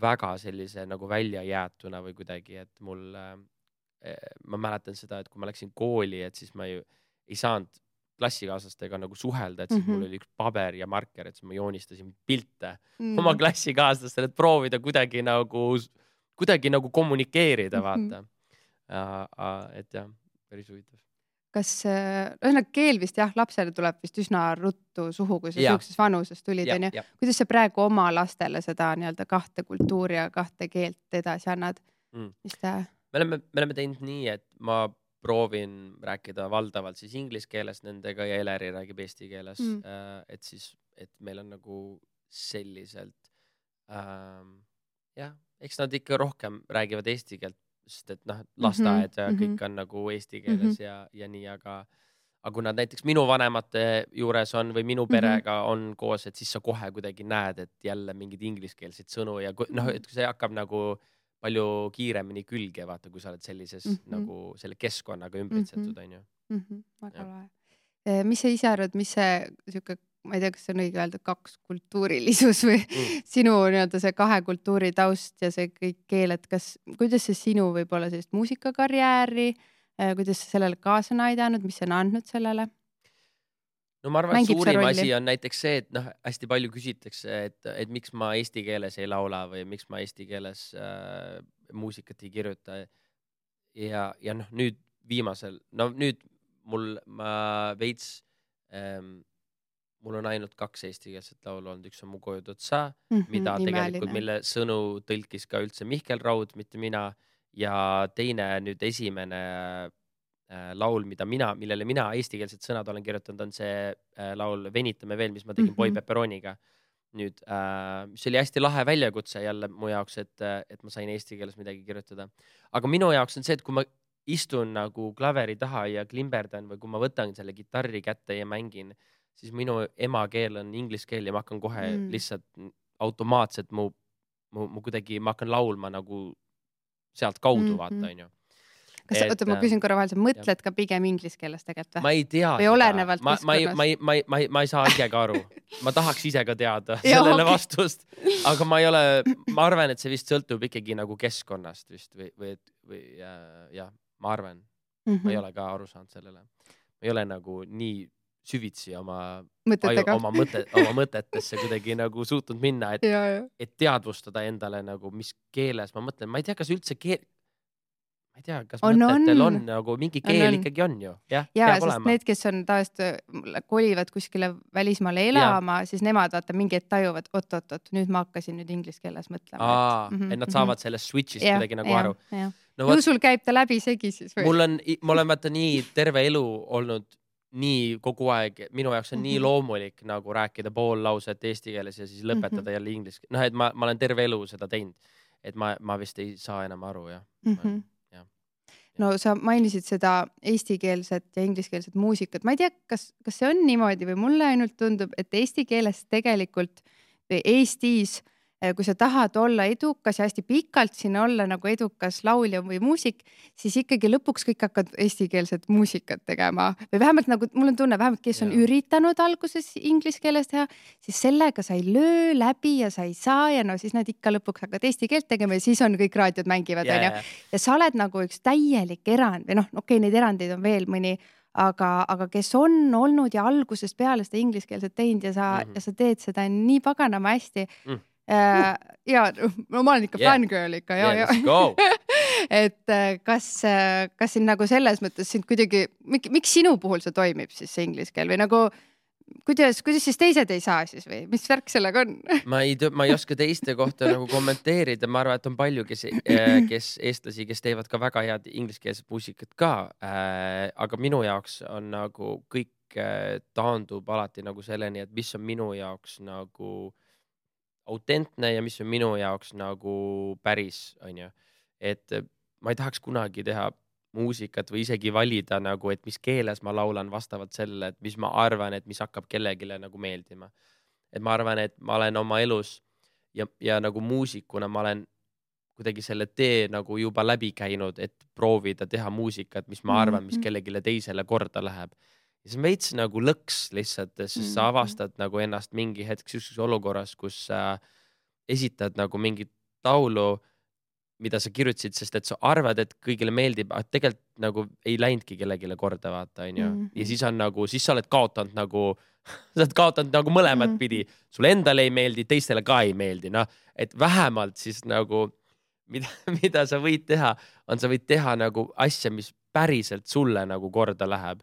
väga sellise nagu väljajäetuna või kuidagi, et mul äh, ma mäletan seda, et kui ma läksin kooli, et siis ma ju ei saanud klassikaaslastega nagu suhelda, et siis mm -hmm. mul oli üks paber ja marker, et siis ma joonistasin pilte mm -hmm. oma klassikaaslastele, et proovida kuidagi nagu, kuidagi nagu kommunikeerida, vaata mm. -hmm. et jah, päris huvitav. Kas, ühesõnaga keel vist jah, lapsele tuleb vist üsna ruttu suhu, kui sa siukses vanuses tulid, on ju. Kuidas sa praegu oma lastele seda nii-öelda kahte kultuuri ja kahte keelt edasi annad mm.? Mis ta... Me oleme, me oleme teinud nii, et ma proovin rääkida valdavalt siis inglise keeles nendega ja Eleri räägib eesti keeles mm.. Et siis, et meil on nagu selliselt ähm, jah, eks nad ikka rohkem räägivad eesti keelt, sest et noh, lasteaed ja mm -hmm. kõik on nagu eesti keeles mm -hmm. ja, ja nii, aga aga kui nad näiteks minu vanemate juures on või minu perega mm -hmm. on koos, et siis sa kohe kuidagi näed, et jälle mingid ingliskeelseid sõnu ja noh, et see hakkab nagu palju kiiremini külge, vaata, kui sa oled sellises mm -hmm. nagu selle keskkonnaga ümbritsetud, on ju. Väga lahe. Mis sa ise arvad, mis see siuke, ma ei tea, kas see on õige öelda, kaks kultuurilisus või mm. sinu nii-öelda see kahe kultuuri taust ja see kõik keeled, kas, kuidas see sinu võib-olla sellist muusikakarjääri, kuidas sa sellele kaasa on aidanud, mis see on andnud sellele? No ma arvan, et suurim asi on näiteks see, et noh, hästi palju küsitakse, et, et miks ma eesti keeles ei laula või miks ma eesti keeles äh, muusikat ei kirjuta. Ja, ja noh, nüüd viimasel, no nüüd mul, ma veits, ähm, mul on ainult kaks eestikeelset laulu olnud, üks on Mu koju otsa, mm -hmm, mida tegelikult, mille sõnu tõlkis ka üldse Mihkel Raud, mitte mina. Ja teine nüüd esimene laul, mida mina, millele mina eestikeelsed sõnad olen kirjutanud, on see äh, laul Venitame veel, mis ma tegin mm -hmm. Boy Pepperoniga. Nüüd, äh, mis oli hästi lahe väljakutse jälle mu jaoks, et, et ma sain eesti keeles midagi kirjutada. Aga minu jaoks on see, et kui ma istun nagu klaveri taha ja klimberdan või kui ma võtan selle kitarri kätte ja mängin, siis minu emakeel on inglise keel ja ma hakkan kohe mm. lihtsalt automaatselt mu, mu, mu kuidagi, ma hakkan laulma nagu sealt kaudu mm -hmm. vaata, on ju. Kas, oota, ma küsin korra vahel, sa mõtled ja. ka pigem inglise keeles tegelikult või? Ma ei tea. Või olenevalt ma, ma, ma, ma, ma, ma, ma ei saa ise ka aru. Ma tahaks ise ka teada sellele okay. vastust. Aga ma ei ole, ma arvan, et see vist sõltub ikkagi nagu keskkonnast vist või, või, või ja, ja ma arvan. Mm -hmm. Ma ei ole ka aru saanud sellele. Ma ei ole nagu nii süvitsi oma, aju, oma, mõte, oma mõtetesse kuidagi nagu suutnud minna, et, ja, ja. et teadvustada endale nagu, mis keeles ma mõtlen. Ma ei tea, kas üldse keel... Ma ei tea, kas on, mõtetel on, on nagu mingi keel on, on. ikkagi on ju. Ja, ja sest olema. Need, kes on tavaliselt kolivad kuskile välismaale elama, ja. siis nemad vaata mingi et tajuvad, oot, oot, oot, nüüd ma hakkasin nüüd inglise keeles mõtlema. Aa, et, mm -hmm, et nad saavad sellest switch'ist ja, kuidagi nagu ja, aru. No, võt, sul käib ta läbi segi siis või? Mul on, ma olen vaata nii terve elu olnud nii kogu aeg, minu jaoks on mm -hmm. nii loomulik nagu rääkida pool lauset eesti keeles ja siis lõpetada mm -hmm. jälle inglise keeles. Noh, et ma, ma olen terve elu seda teinud, et ma, ma vist ei saa enam aru ja. Mm -hmm. No sa mainisid seda eestikeelset ja ingliskeelset muusikat. Ma ei tea, kas, kas see on niimoodi või mulle ainult tundub, et eesti keeles tegelikult või Eestis, kui sa tahad olla edukas ja hästi pikalt siin olla nagu edukas laulja või muusik, siis ikkagi lõpuks kõik hakkavad eestikeelset muusikat tegema. Või vähemalt nagu, mul on tunne, vähemalt kes on ja. üritanud alguses inglise keeles teha, siis sellega sa ei löö läbi ja sa ei saa ja no siis nad ikka lõpuks hakkavad eesti keelt tegema ja siis on kõik raadiod mängivad. Ja, ja. ja sa oled nagu üks täielik erand või noh, okei, okay, neid erandeid on veel mõni, aga, aga kes on olnud ja algusest peale seda ingliskeelset teinud ja sa, mm -hmm. ja sa teed seda nii paganama hästi. Mm. Uh, ja no ma olen ikka yeah. fangirl ikka ja, yeah, ja. et kas, kas siin nagu selles mõttes sind kuidagi, miks sinu puhul see toimib siis see inglise keel või nagu kuidas, kuidas siis teised ei saa siis või mis värk sellega on? ma ei, ma ei oska teiste kohta nagu kommenteerida, ma arvan, et on palju, kes, kes eestlasi, kes teevad ka väga head ingliskeelset muusikat ka äh,. aga minu jaoks on nagu kõik äh, taandub alati nagu selleni, et mis on minu jaoks nagu autentne ja mis on minu jaoks nagu päris, on ju. Et ma ei tahaks kunagi teha muusikat või isegi valida nagu, et mis keeles ma laulan vastavalt sellele, et mis ma arvan, et mis hakkab kellegile nagu meeldima. Et ma arvan, et ma olen oma elus ja, ja nagu muusikuna ma olen kuidagi selle tee nagu juba läbi käinud, et proovida teha muusikat, mis ma arvan, mis kellegile teisele korda läheb. Ja see on veits nagu lõks lihtsalt, sest sa avastad nagu ennast mingi hetk sellises olukorras, kus sa esitad nagu mingit laulu, mida sa kirjutasid, sest et sa arvad, et kõigile meeldib, aga tegelikult nagu ei läinudki kellegile korda vaata, on ju. Mm -hmm. Ja siis on nagu, siis sa oled kaotanud nagu, sa oled kaotanud nagu mõlemat mm -hmm. pidi. Sulle endale ei meeldi, teistele ka ei meeldi, noh. Et vähemalt siis nagu, mida, mida sa võid teha, on sa võid teha nagu asja, mis päriselt sulle nagu korda läheb.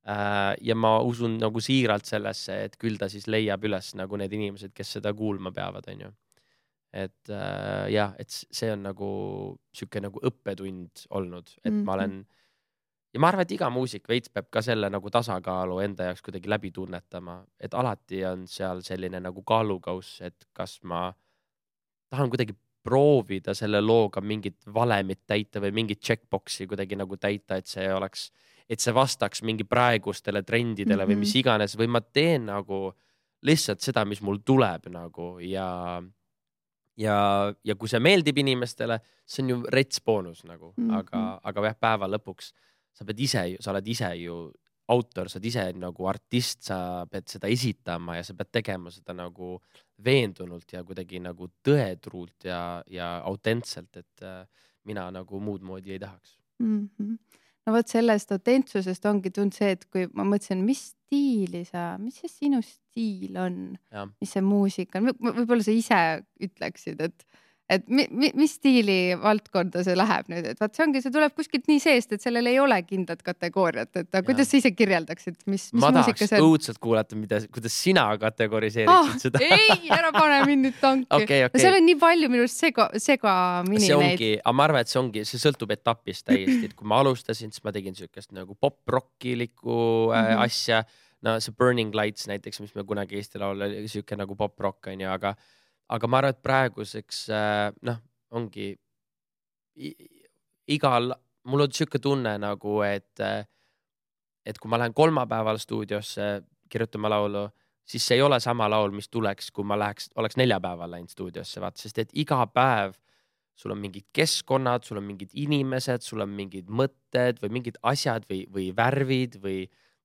Äh, ja ma usun nagu siiralt sellesse, et küll ta siis leiab üles nagu need inimesed, kes seda kuulma peavad, on ju. Et äh, jah, et see on nagu siuke nagu õppetund olnud, et mm-hmm. ma olen ja ma arvan, et iga muusik veits peab ka selle nagu tasakaalu enda jaoks kuidagi läbi tunnetama, et alati on seal selline nagu kaalukauss, et kas ma tahan kuidagi proovida selle looga mingit valemit täita või mingit checkboxi kuidagi nagu täita, et see oleks, et see vastaks mingi praegustele trendidele mm-hmm. või mis iganes, või ma teen nagu lihtsalt seda, mis mul tuleb nagu ja ja, ja kui see meeldib inimestele, see on ju rets boonus nagu, mm-hmm. aga, aga jah, päeva lõpuks sa pead ise, sa oled ise ju autor, sa oled ise nagu artist, sa pead seda esitama ja sa pead tegema seda nagu veendunult ja kuidagi nagu tõetruult ja, ja autentselt, et äh, mina nagu muud moodi ei tahaks. Mm-hmm. No vot sellest autentsusest ongi tund see, et kui ma mõtlesin, mis stiili sa, mis see sinu stiil on, ja. Mis see muusika on, võib-olla sa ise ütleksid, et, et mi, mi, mis stiili valdkonda see läheb nüüd, et vaat see ongi, see tuleb kuskilt nii seest, et sellel ei ole kindlat kategooriat, et kuidas ja. Sa ise kirjeldaksid, mis, mis ma muusika see on? Ma tahaks õudselt kuulata, mida, kuidas sina kategoriseeriksid oh, seda. Ei, ära pane mind nüüd tanki. Okay, okay. No seal on nii palju minust sega, segamini see ongi, aga ma arvan, et see ongi, see sõltub etapist täiesti, et kui ma alustasin, siis ma tegin siukest nagu pop-rockilikku äh, mm-hmm. asja. No see Burning Lights näiteks, mis me kunagi Eesti laul oli siuke nagu pop-rock on ju, aga aga ma arvan, et praeguseks noh, ongi igal, mul on siuke tunne nagu, et et kui ma lähen kolmapäeval stuudiosse kirjutama laulu, siis see ei ole sama laul, mis tuleks, kui ma läheks, oleks neljapäeval läinud stuudiosse, vaat, sest et iga päev sul on mingid keskkonnad, sul on mingid inimesed, sul on mingid mõtted või mingid asjad või, või värvid või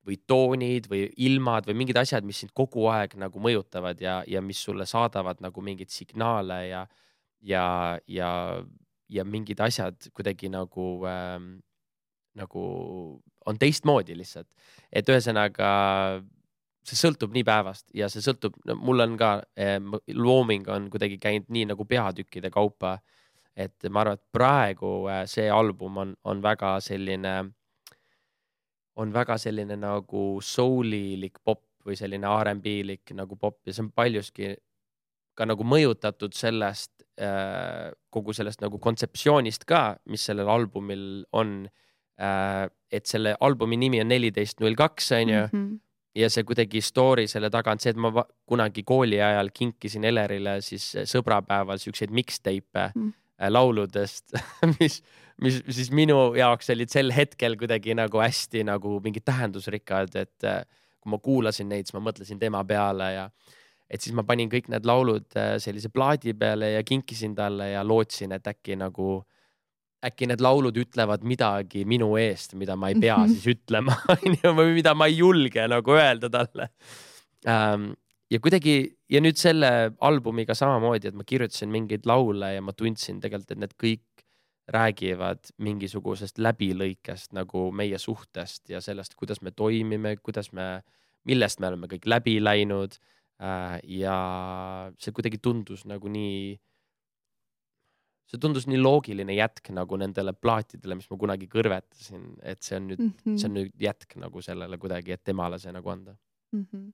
või toonid või ilmad või mingid asjad, mis sind kogu aeg nagu mõjutavad ja, ja mis sulle saadavad nagu mingeid signaale ja, ja, ja, ja mingid asjad kuidagi nagu, ähm, nagu on teistmoodi lihtsalt. Et ühesõnaga see sõltub nii päevast ja see sõltub, no, mul on ka eh, looming on kuidagi käinud nii nagu peatükkide kaupa, et ma arvan, et praegu eh, see album on, on väga selline on väga selline nagu soulilik pop või selline R and B-lik nagu pop ja see on paljuski ka nagu mõjutatud sellest, äh, kogu sellest nagu kontseptsioonist ka, mis sellel albumil on, äh, et selle albumi nimi on neliteist null kaks, on ju, mm-hmm. ja see kuidagi story selle taga on see, et ma kunagi kooli ajal kinkisin Elerile siis sõbrapäeval siukseid mixtape mm. lauludest, mis mis siis minu jaoks olid sel hetkel kuidagi nagu hästi nagu mingid tähendusrikkad, et kui ma kuulasin neid, siis ma mõtlesin tema peale ja et siis ma panin kõik need laulud sellise plaadi peale ja kinkisin talle ja lootsin, et äkki nagu, äkki need laulud ütlevad midagi minu eest, mida ma ei pea mm-hmm. siis ütlema või mida ma ei julge nagu öelda talle. Ähm, ja kuidagi, ja nüüd selle albumiga samamoodi, et ma kirjutasin mingeid laule ja ma tundsin tegelikult, et need kõik räägivad mingisugusest läbilõikest nagu meie suhtest ja sellest, kuidas me toimime, kuidas me, millest me oleme kõik läbi läinud äh, ja see kuidagi tundus nagu nii, see tundus nii loogiline jätk nagu nendele plaatidele, mis ma kunagi kõrvetasin, et see on nüüd, mm-hmm. see on nüüd jätk nagu sellele kuidagi, et temale see nagu anda. Mm-hmm.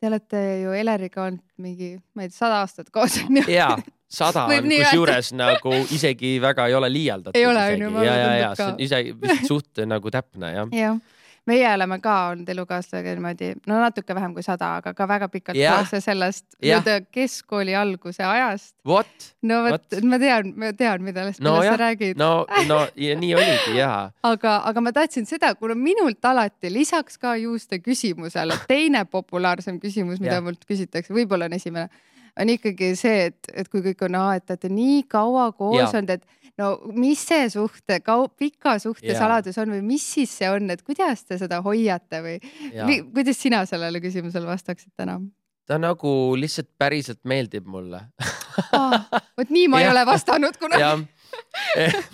Te olete ju Eleriga olnud mingi, ma ei tea, sada aastat koos. Jaa, sada on kus juures nagu isegi väga ei ole liialdatud. Ei ole, isegi. Ja, ja, ja, see on isegi vist suht nagu täpne, jah. Jah. Meie oleme ka olnud elukaaslasega niimoodi, no natuke vähem kui sada, aga ka väga pikalt ja. kaasa sellest ja. Keskkooli alguse ajast. What? No võt, ma tean, ma tean, mida no, sa räägid. No, no ja nii oligi, jaa. Aga, aga ma tahtsin seda, kuna minult alati lisaks ka juuste küsimusele, teine populaarsem küsimus, mida ja. Mult küsitakse, võib-olla on esimene, on ikkagi see, et, et kui kõik on, et olete nii kaua koos olnud, et no mis see suhte, kau, pika suhte ja. Saladus on või mis siis see on, et kuidas te seda hoiate või mi, kuidas sina sellele küsimusele vastaksid täna? Ta nagu lihtsalt päriselt meeldib mulle. ah, võt nii ma ei ole vastanud kuna.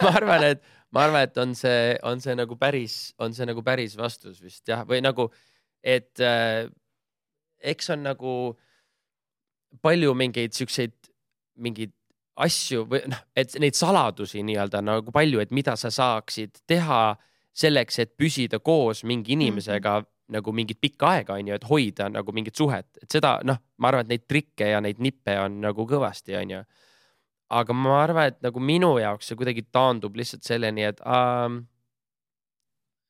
ma arvan, et, ma arvan, et on see, on see nagu päris, on see nagu päris vastus vist jah, või nagu, et äh, eks on nagu palju mingeid siukseid, mingeid asju või noh, et neid saladusi nii-öelda nagu palju, et mida sa saaksid teha selleks, et püsida koos mingi inimesega mm-hmm. nagu mingit pikka aega, on ju, et hoida nagu mingit suhet, et seda, noh, ma arvan, et neid trikke ja neid nippe on nagu kõvasti, on ju. Aga ma arvan, et nagu minu jaoks see kuidagi taandub lihtsalt selleni, et, ähm,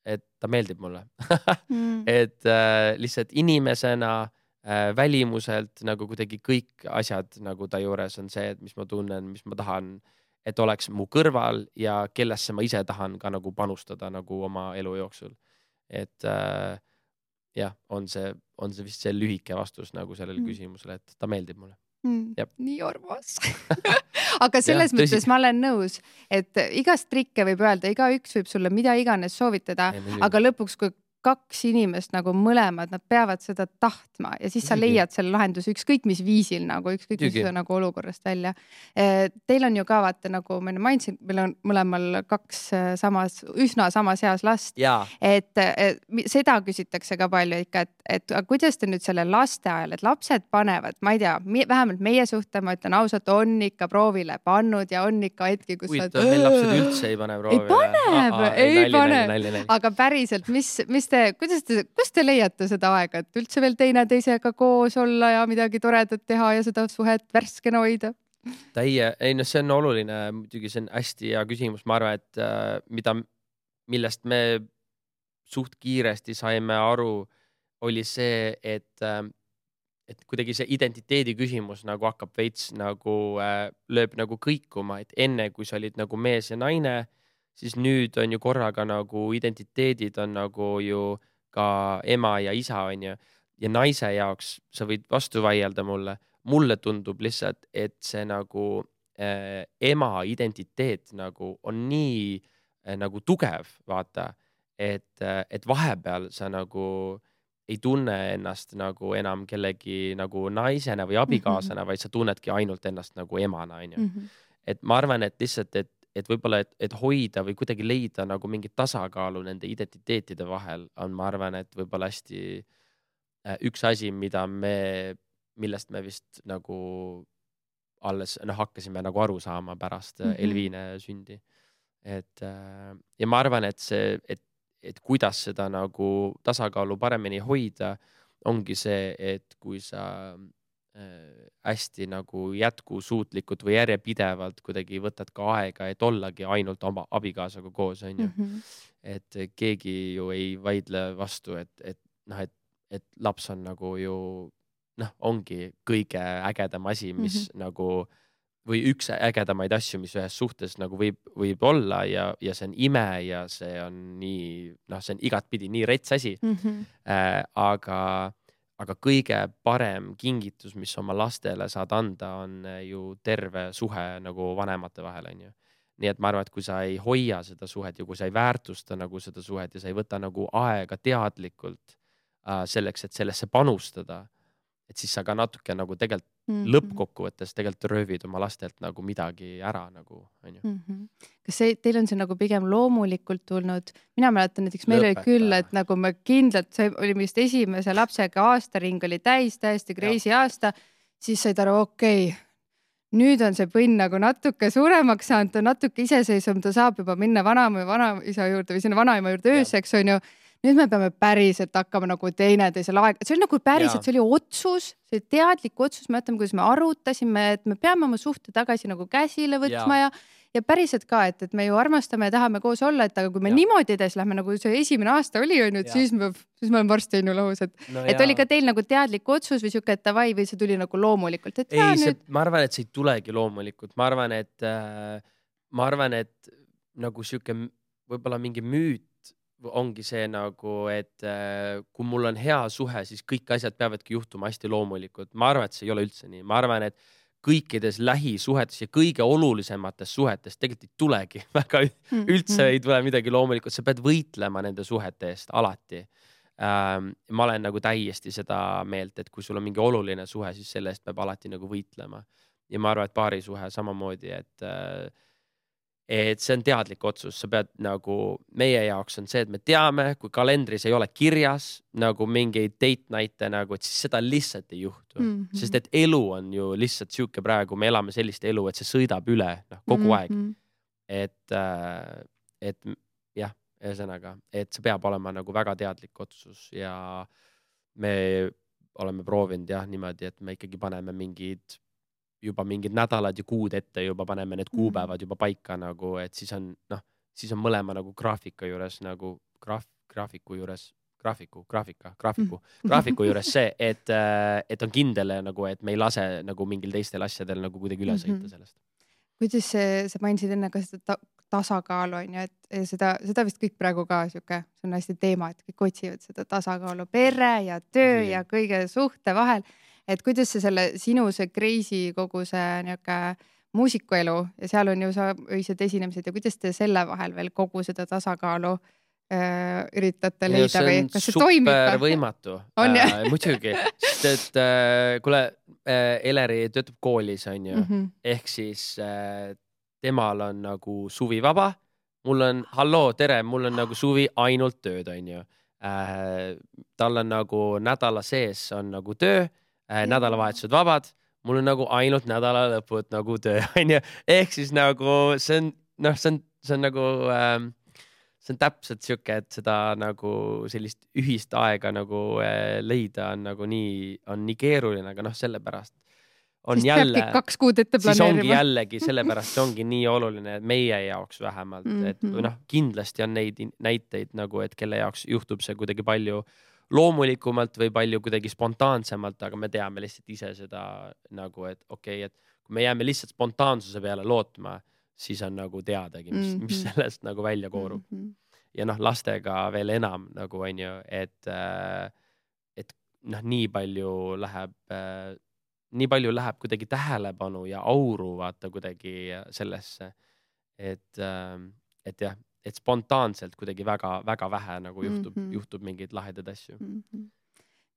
et ta meeldib mulle. mm. Et äh, lihtsalt inimesena välimuselt nagu kuidagi kõik asjad nagu ta juures on see, et mis ma tunnen, mis ma tahan, et oleks mu kõrval ja kellesse ma ise tahan ka nagu panustada nagu oma elu jooksul. Et äh, jah, on see, on see vist see lühike vastus nagu sellele mm. küsimusele, et ta meeldib mulle. Mm, nii armas. Aga selles ja, mõttes ma olen nõus, et igast trikke võib öelda, iga üks võib sulle mida iganes soovitada, ei, aga lõpuks, kui kaks inimest nagu mõlemad, nad peavad seda tahtma ja siis sa leiad selle lahenduse ükskõik mis viisil nagu, ükskõik mis nagu olukorrast välja. Teil on ju ka vaata nagu ma mainisin, meil on mõlemal kaks samas, üsna samas heas last. Et, et seda küsitakse ka palju ikka, et, et kuidas te nüüd selle laste ajal, et lapsed panevad, ma ei tea, vähemalt meie suhte, ma ütlen ausalt, on ikka proovile pannud ja on ikka hetki, kus Kuid, sa... meil lapsed üldse ei pane proovile. Ei paneb, Aa, ei, ei pane. Aga päriselt, mis, mis te, kuidas te, kus te leiate seda aega, et üldse veel teine teisega koos olla ja midagi toredat teha ja seda suhet värskena hoida? Täie, ei no see on oluline, muidugi see on hästi hea küsimus, ma arvan, et äh, mida, millest me suht kiiresti saime aru, oli see, et, äh, et kuidagi see identiteedi küsimus nagu hakkab veits nagu äh, lööb nagu kõikuma, et enne kui sa olid nagu mees ja naine, siis nüüd on ju korraga nagu identiteedid on nagu ju ka ema ja isa on ju. Ja naise jaoks sa võid vastu vaielda mulle. Mulle tundub lihtsalt, et see nagu äh, ema identiteet nagu on nii äh, nagu tugev, vaata, et, äh, et vahepeal sa nagu ei tunne ennast nagu enam kellegi nagu naisena või abikaasana, mm-hmm. vaid sa tunnedki ainult ennast nagu emana, on ju. Mm-hmm. Et ma arvan, et lihtsalt, et et võib-olla, et, et hoida või kuidagi leida nagu mingit tasakaalu nende identiteetide vahel on, ma arvan, et võib-olla hästi äh, üks asi, mida me, millest me vist nagu alles noh, hakkasime nagu aru saama pärast mm-hmm. Elviine sündi. Et, äh, ja ma arvan, et see, et, et kuidas seda nagu tasakaalu paremini hoida, ongi see, et kui sa hästi nagu jätkusuutlikult või järjepidevalt kuidagi võtad ka aega, et ollagi ainult oma abikaasaga koos, on ju. Mm-hmm. Et keegi ju ei vaidle vastu, et, et noh, et, et laps on nagu ju noh, ongi kõige ägedam asi, mis mm-hmm. nagu või üks ägedamaid asju, mis ühes suhtes nagu võib, võib olla ja, ja see on ime ja see on nii, noh, see on igatpidi nii rets asi. Mm-hmm. Äh, aga Aga kõige parem kingitus, mis oma lastele saad anda, on ju terve suhe nagu vanemate vahel, on ju. Nii et ma arvan, et kui sa ei hoia seda suhet ja kui sa ei väärtusta nagu seda suhet ja sa ei võta nagu aega teadlikult äh, selleks, et sellesse panustada, et siis sa ka natuke nagu tegelikult mm-hmm. lõppkokkuvõttes tegelikult röövid oma lastelt nagu midagi ära nagu, on ju. Mm-hmm. Kas see, teil on see nagu pigem loomulikult tulnud? Mina mäletan näiteks, meil oli küll, et nagu me kindlalt, see oli vist esimese lapsega aastaring oli täis, täiesti crazy ja. Aasta, siis said aru, okei, okay, nüüd on see põnn nagu natuke suuremaks saanud, ta natuke iseseisvam, ta saab juba minna vanaema ja vanaisa juurde või sinna vanaema juurde ööseks, on ju. nüüd me peame päriselt hakkama nagu teineteisel aeg, see oli nagu päriselt, see oli otsus, see oli teadlik otsus, me mõtleme, kuidas me arutasime, et me peame oma suhte tagasi nagu käsile võtma ja, ja, ja päriselt ka, et, et me ju armastame ja tahame koos olla, et aga kui me ja. niimoodi edes lähme, nagu see esimene aasta oli, on ju, et siis me, siis me oleme varsti on ju lahus, et, no et oli ka teil nagu teadlik otsus või siuke, et davai või see tuli nagu loomulikult, et ei, see, nüüd... ma arvan, et see ei tulegi loomulikult, ma arvan, et äh, ma arvan, et nagu siuke võib-olla mingi müüt ongi see nagu, et äh, kui mul on hea suhe, siis kõik asjad peavadki juhtuma hästi loomulikult. Ma arvan, et see ei ole üldse nii. Ma arvan, et kõikides lähisuhetes ja kõige olulisemates suhetes tegelikult ei tulegi väga üldse ei tule midagi loomulikult. Sa pead võitlema nende suhete eest alati. Ähm, ma olen nagu täiesti seda meelt, et kui sul on mingi oluline suhe, siis selle eest peab alati nagu võitlema. Ja ma arvan, et paari suhe samamoodi, et äh, et see on teadlik otsus, sa pead nagu, meie jaoks on see, et me teame, kui kalendris ei ole kirjas nagu mingeid date night'e nagu, et siis seda lihtsalt ei juhtu. Mm -hmm. Sest et elu on ju lihtsalt siuke praegu, me elame sellist elu, et see sõidab üle noh, kogu mm -hmm. aeg. Et, et jah, ühesõnaga, et see peab olema nagu väga teadlik otsus ja me oleme proovinud jah niimoodi, et me ikkagi paneme mingid juba mingid nädalad ja kuud ette juba paneme need kuupäevad juba paika nagu, et siis on, noh, siis on mõlema nagu graafika juures nagu graaf, graafiku juures, graafiku, graafika, graafiku, graafiku juures see, et, et on kindel nagu, et me ei lase nagu mingil teistel asjadel nagu kuidagi üle sõita sellest. Kuidas see, sa mainisid enne ka seda tasakaalu on ju, et seda, seda vist kõik praegu ka siuke, see on hästi teema, et kõik otsivad seda tasakaalu pere ja töö ja, ja kõige suhte vahel. Et kuidas see selle sinu see crazy kogu see niuke muusikuelu ja seal on ju sa öised esinemised ja kuidas te selle vahel veel kogu seda tasakaalu äh, üritate leida ja või kas see toimib? See on super võimatu. On äh, muidugi, sest et äh, kuule, äh, Eleri töötab koolis on ju, mm -hmm. ehk siis äh, temal on nagu suvi vaba, mul on, halloo, tere, mul on nagu suvi ainult tööd on ju. Äh, tal on nagu nädala sees on nagu töö, nädalavahetused vabad, mul on nagu ainult nädala lõpud nagu töö, on ju. Ehk siis nagu see on, noh, see on, see on nagu, ähm, see on täpselt siuke, et seda nagu sellist ühist aega nagu äh, leida on nagu nii, on nii keeruline, aga noh, sellepärast on siis jälle, kaks kuud ette siis ongi jällegi, sellepärast see ongi nii oluline, et meie jaoks vähemalt, mm -hmm. et noh, kindlasti on neid näiteid nagu, et kelle jaoks juhtub see kuidagi palju loomulikumalt või palju kuidagi spontaansemalt, aga me teame lihtsalt ise seda nagu, et okei okay,, et kui me jääme lihtsalt spontaansuse peale lootma, siis on nagu teadagi, mis, mis sellest nagu välja koorub. Mm-hmm. Ja noh, lastega veel enam nagu on ju, et, et noh, nii palju läheb, nii palju läheb kuidagi tähelepanu ja auru vaata kuidagi sellesse, et, et jah, et spontaanselt kuidagi väga, väga vähe nagu juhtub, mm -hmm. juhtub mingeid lahedaid asju. Mm -hmm.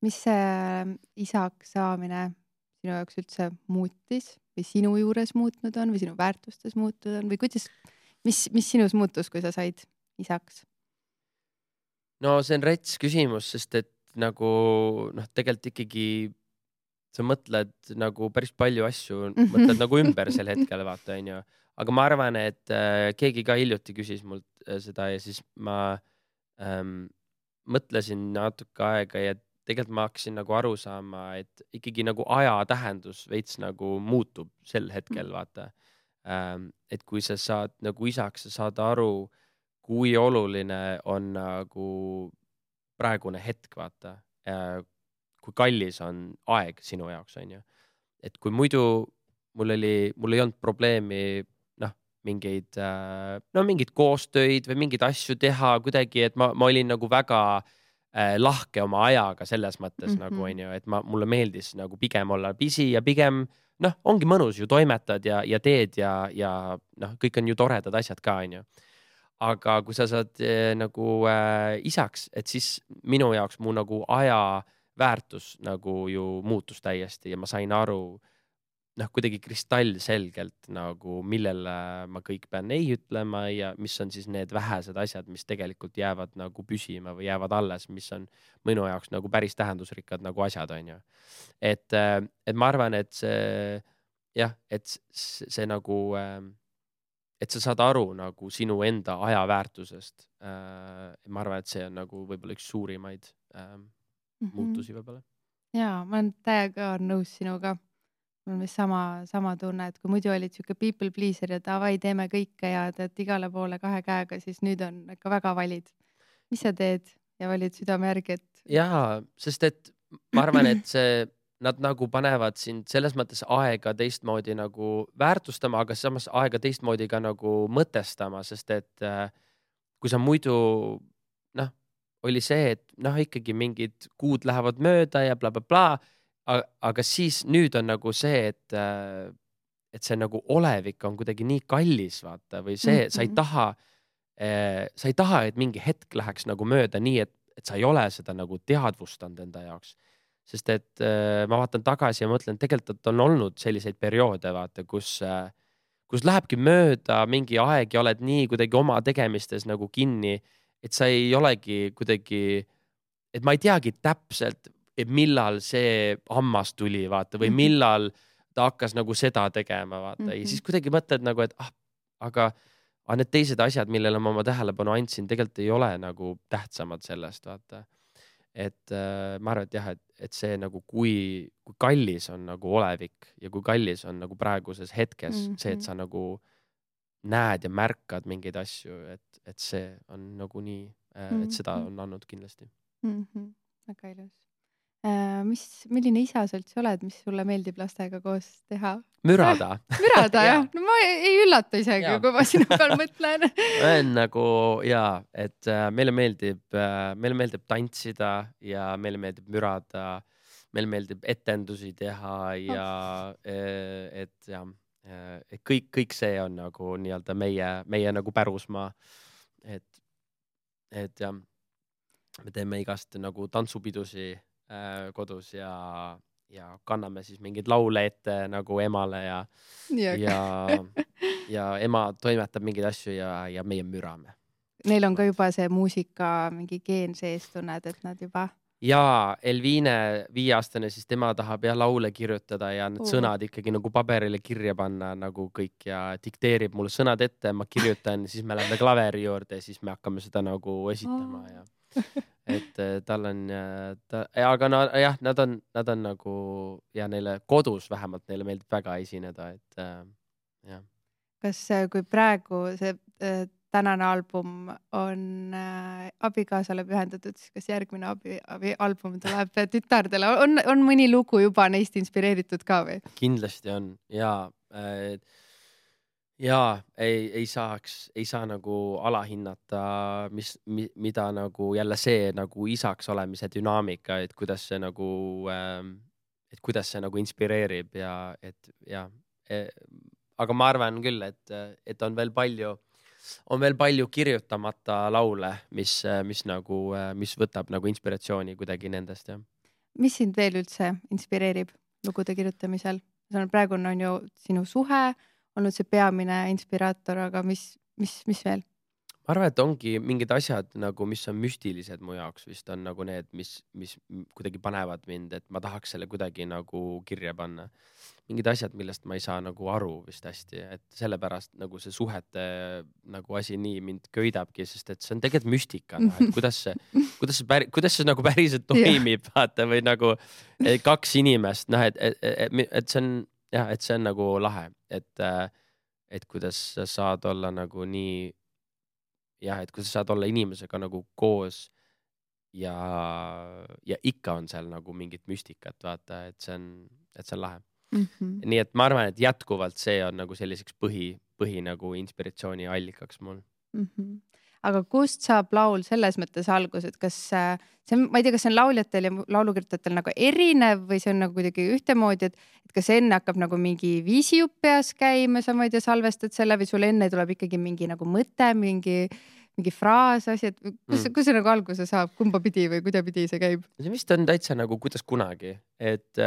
Mis see isaks saamine sinu jaoks üldse muutis või sinu juures muutnud on või sinu väärtustes muutunud on või kuidas, mis, mis sinus muutus, kui sa said isaks? No see on rets küsimus, sest et nagu noh, tegelikult ikkagi sa mõtled nagu päris palju asju, mõtled nagu ümber sel hetkel vaata on ju. Aga ma arvan, et äh, keegi ka hiljuti küsis mult äh, seda ja siis ma ähm, mõtlesin natuke aega ja tegelikult ma hakkasin nagu aru saama, et ikkagi nagu aja tähendus veits nagu muutub sel hetkel, vaata. Ähm, et kui sa saad nagu isaks, sa saad aru, kui oluline on nagu praegune hetk, vaata. Äh, kui kallis on aeg sinu jaoks, on ju. Et kui muidu mul oli, mul ei olnud probleemi mingeid, no mingid koostöid või mingeid asju teha kuidagi, et ma, ma olin nagu väga äh, lahke oma ajaga selles mõttes mm -hmm. nagu on ju, et ma, mulle meeldis nagu pigem olla busy ja pigem noh, ongi mõnus ju toimetad ja, ja teed ja, ja noh, kõik on ju toredad asjad ka on ju. Aga kui sa saad äh, nagu äh, isaks, et siis minu jaoks mu nagu aja väärtus nagu ju muutus täiesti ja ma sain aru noh, kuidagi kristallselgelt nagu, millele ma kõik pean ei ütlema ja mis on siis need vähesed asjad, mis tegelikult jäävad nagu püsima või jäävad alles, mis on minu jaoks nagu päris tähendusrikkad nagu asjad, on ju. Et, et ma arvan, et see jah, et see, see nagu, et sa saad aru nagu sinu enda aja väärtusest. Ma arvan, et see on nagu võib-olla üks suurimaid äh, mm -hmm. muutusi võib-olla. Jaa, ma olen täiega nõus sinuga. Mul on vist sama, sama tunne, et kui muidu olid siuke people pleaser ja davai, teeme kõike ja teed igale poole kahe käega, siis nüüd on ikka väga valid. Mis sa teed ja valid südame järgi, et... Jaa, sest et ma arvan, et see, nad nagu panevad sind selles mõttes aega teistmoodi nagu väärtustama, aga samas aega teistmoodi ka nagu mõtestama, sest et äh, kui sa muidu, noh, oli see, et noh, ikkagi mingid kuud lähevad mööda ja bla, bla, bla, aga siis nüüd on nagu see, et, et see nagu olevik on kuidagi nii kallis, vaata, või see, mm-hmm. sa ei taha, sa ei taha, et mingi hetk läheks nagu mööda nii, et, et sa ei ole seda nagu teadvustanud enda jaoks. Sest et ma vaatan tagasi ja mõtlen, tegelikult on olnud selliseid perioode, vaata, kus, kus lähebki mööda mingi aeg ja oled nii kuidagi oma tegemistes nagu kinni, et sa ei olegi kuidagi, et ma ei teagi täpselt, et millal see hammas tuli, vaata, või millal ta hakkas nagu seda tegema, vaata. Mm-hmm. Ja siis kuidagi mõtled nagu, et ah, aga, aga need teised asjad, millele ma oma tähelepanu andsin, tegelikult ei ole nagu tähtsamad sellest, vaata. Et äh, ma arvan, et jah, et, et see nagu, kui, kui kallis on nagu olevik ja kui kallis on nagu praeguses hetkes mm-hmm. see, et sa nagu näed ja märkad mingeid asju, et, et see on nagu nii, äh, et seda on andnud kindlasti. Mm-hmm. Väga ilus. Äh, mis, milline isa sa üldse oled, mis sulle meeldib lastega koos teha? Mürada. Mürada, jah. No ma ei üllata isegi, ja. Kui ma sinu peal mõtlen. on nagu, jaa, et äh, meile meeldib, äh, meile meeldib tantsida ja meile meeldib mürada, meile meeldib etendusi teha ja oh. et jah, et kõik, kõik see on nagu nii-öelda meie, meie nagu pärusmaa. Et, et jah, me teeme igast nagu tantsupidusi kodus ja, ja kanname siis mingeid laule ette nagu emale ja, ja, ja ema toimetab mingeid asju ja, ja meie mürame. Neil on ka juba see muusika mingi geen sees, tunned, et nad juba... Ja Elviine viieaastane, siis tema tahab ja laule kirjutada ja need uh. sõnad ikkagi nagu paberile kirja panna nagu kõik ja dikteerib mulle sõnad ette, ma kirjutan, siis me läheme klaveri juurde ja siis me hakkame seda nagu esitama uh. ja et tal on ta, aga no jah, nad on, nad on nagu ja neile kodus vähemalt neile meeldib väga esineda, et äh, jah. Kas kui praegu see äh, tänane album on äh, abikaasale pühendatud, siis kas järgmine abi, abi album tuleb tütardele? On, on mõni lugu juba neist inspireeritud ka või? Kindlasti on ja äh, ja ei, ei saaks, ei saa nagu alahinnata, mis, mi, mida nagu jälle see nagu isaks olemise dünaamika, et kuidas see nagu, et kuidas see nagu inspireerib ja et ja, aga ma arvan küll, et, et on veel palju, on veel palju kirjutamata laule, mis, mis nagu, mis võtab nagu inspiratsiooni kuidagi nendest, jah. Mis sind veel üldse inspireerib lugude kirjutamisel? Praegu on ju sinu suhe, olnud see peamine inspiraator, aga mis, mis, mis veel? Ma arvan, et ongi mingid asjad nagu, mis on müstilised mu jaoks vist on nagu need, mis, mis kuidagi panevad mind, et ma tahaks selle kuidagi nagu kirja panna. Mingid asjad, millest ma ei saa nagu aru vist hästi, et sellepärast nagu see suhete nagu asi nii mind köidabki, sest et see on tegelikult müstika, no, et kuidas see, kuidas see, päri, kuidas see nagu päriselt toimib, vaata, või nagu kaks inimest, noh, et, et, et, et see on jah, et see on nagu lahe, et, et kuidas sa saad olla nagu nii, jah, et kuidas sa saad olla inimesega nagu koos ja, ja ikka on seal nagu mingit müstikat, vaata, et see on, et see on lahe. Mm-hmm. Nii et ma arvan, et jätkuvalt see on nagu selliseks põhi, põhi nagu inspiratsiooni allikaks mul. Mm-hmm. Aga kust saab laul selles mõttes algus, et kas see, ma ei tea, kas see on lauljatel ja laulukirjutajatel nagu erinev või see on nagu kuidagi ühtemoodi, et, et kas enne hakkab nagu mingi viisijupp peas käima, sa ma ei tea, salvestad selle või sul enne tuleb ikkagi mingi nagu mõte, mingi, mingi fraas, asi, et kus, mm. kus see nagu alguse saab, kumba pidi või kuidapidi see käib? See vist on täitsa nagu kuidas kunagi, et,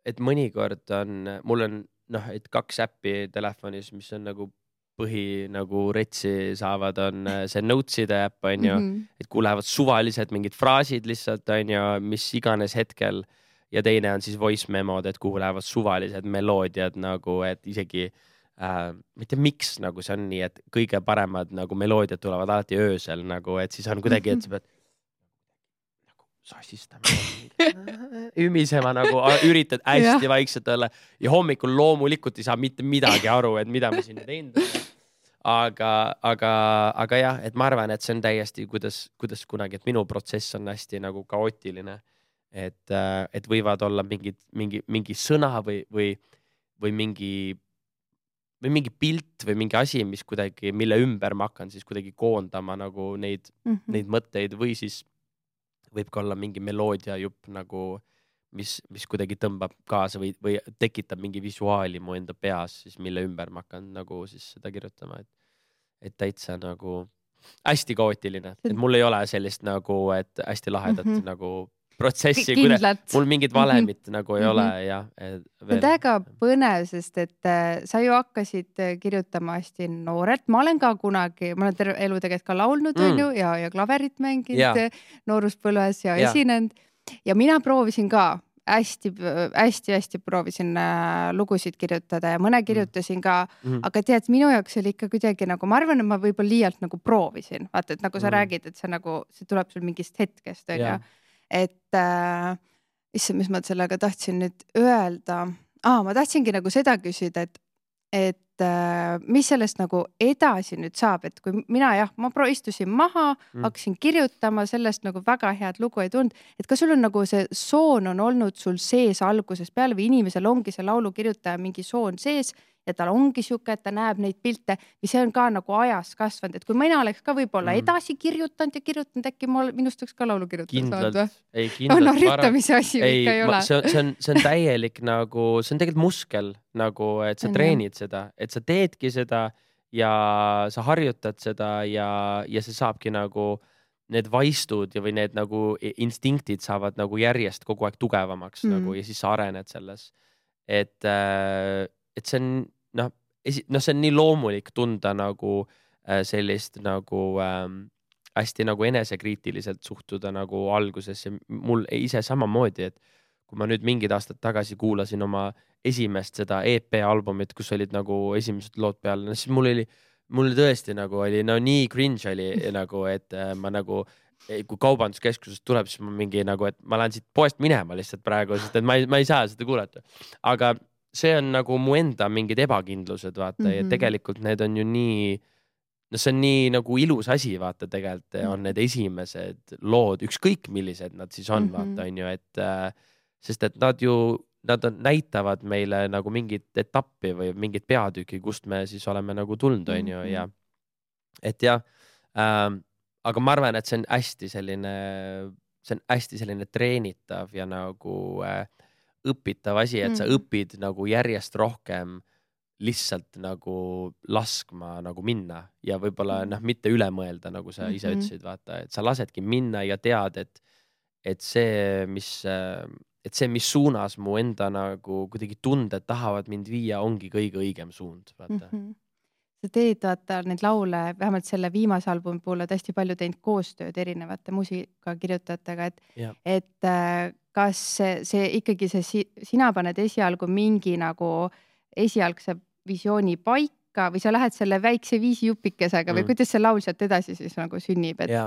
et mõnikord on, mul on noh, et kaks äppi telefonis, mis on nagu põhi nagu retsi saavad, on see Noteside äpp, on ju, mm-hmm. et kuhu lähevad suvalised mingid fraasid lihtsalt, on ju, mis iganes hetkel ja teine on siis voice memod, et kuhu lähevad suvalised meloodiad nagu, et isegi äh, ma ei tea, miks nagu see on nii, et kõige paremad nagu meloodiad tulevad alati öösel nagu, et siis on kuidagi, et sa pead nagu sassistama, ümisema nagu, üritad hästi ja. vaikselt olla ja hommikul loomulikult ei saa mitte midagi aru, et mida ma siin teinud olen. Aga, aga, aga jah, et ma arvan, et see on täiesti, kuidas, kuidas kunagi, et minu protsess on hästi nagu kaootiline, et, et võivad olla mingid, mingi, mingi sõna või, või, või mingi, või mingi pilt või mingi asi, mis kuidagi, mille ümber ma hakkan siis kuidagi koondama nagu neid, mm-hmm. neid mõtteid või siis võib ka olla mingi meloodia jupp nagu, mis, mis kuidagi tõmbab kaasa või, või tekitab mingi visuaali mu enda peas, siis mille ümber ma hakkan nagu siis seda kirjutama, et, et täitsa nagu hästi kaootiline, et mul ei ole sellist nagu, et hästi lahedat mm-hmm. nagu protsessi, mul mingit valemit mm-hmm. nagu ei mm-hmm. ole ja veel... See on väga põnev, sest et äh, sa ju hakkasid kirjutama hästi noorelt. Ma olen ka kunagi, ma olen terve elu tegelikult ka laulnud mm. on ju, ja, ja klaverit mänginud ja. nooruspõlves ja, ja esinenud. Ja mina proovisin ka hästi, hästi, hästi proovisin äh, lugusid kirjutada ja mõne kirjutasin ka, mm-hmm. aga tead, minu jaoks oli ikka kuidagi nagu, ma arvan, et ma võib-olla liialt nagu proovisin. Vaata, et nagu sa mm-hmm. räägid, et see nagu, see tuleb sul mingist hetkest, on ju. Et äh, issa, mis ma sellega tahtsin nüüd öelda. Ah, ma tahtsingi nagu seda küsida, et, et äh, mis sellest nagu edasi nüüd saab, et kui mina jah, ma pro istusin maha, mm. hakkasin kirjutama, sellest nagu väga head lugu ei tulnud, et kas sul on nagu see soon on olnud sul sees algusest peale või inimesel ongi see laulu kirjutaja mingi soon sees ja tal ongi siuke, et ta näeb neid pilte või see on ka nagu ajas kasvanud, et kui mina oleks ka võib-olla mm. edasi kirjutanud ja kirjutanud, äkki ma minust võiks ka laulu kirjutada. Kindlalt, ei kindlalt. No rüttamise asi ei, ikka ei ole. See on, see, on, see on täielik nagu, see on tegelikult muskel nagu, et sa treenid seda, et sa teedki seda ja sa harjutad seda ja, ja see saabki nagu need vaistud ja või need nagu instinktid saavad nagu järjest kogu aeg tugevamaks mm. nagu ja siis sa arened selles. Et, et see on noh, no see on nii loomulik tunda nagu äh, sellist nagu ähm, hästi nagu enesekriitiliselt suhtuda nagu alguses ja mul ise samamoodi, et kui ma nüüd mingid aastad tagasi kuulasin oma esimest seda E P albumit, kus olid nagu esimesed lood peal, no siis mul oli, mul tõesti nagu oli no nii cringe oli nagu, et äh, ma nagu kui kaubanduskeskusest tuleb, siis ma mingi nagu, et ma lähen siit poest minema lihtsalt praegu, sest et ma ei, ma ei saa seda kuulata, aga see on nagu mu enda mingid ebakindlused, vaata, mm-hmm. ja tegelikult need on ju nii, no see on nii nagu ilus asi, vaata, tegelikult mm-hmm. on need esimesed lood, ükskõik millised nad siis on, mm-hmm. vaata, on ju, et äh, sest et nad ju, nad on, näitavad meile nagu mingit etappi või mingit peatüki, kust me siis oleme nagu tulnud, on ju, ja et jah, äh, aga ma arvan, et see on hästi selline, see on hästi selline treenitav ja nagu äh, õpitav asi, et mm. sa õpid nagu järjest rohkem lihtsalt nagu laskma nagu minna ja võib-olla noh, mitte üle mõelda, nagu sa ise mm-hmm. ütlesid, vaata, et sa lasedki minna ja tead, et, et see, mis, et see, mis suunas mu enda nagu kuidagi tunded tahavad mind viia, ongi kõige õigem suund, vaata. Mm-hmm. Sa teed, vaata, neid laule, vähemalt selle viimase albumi puhul oled hästi palju teinud koostööd erinevate muusikakirjutajatega, et, ja. et kas see, see ikkagi see, sina paned esialgu mingi nagu esialgse visiooni paika või sa lähed selle väikse viisi jupikesega mm. või kuidas see laul sealt edasi siis nagu sünnib? Et... Ja.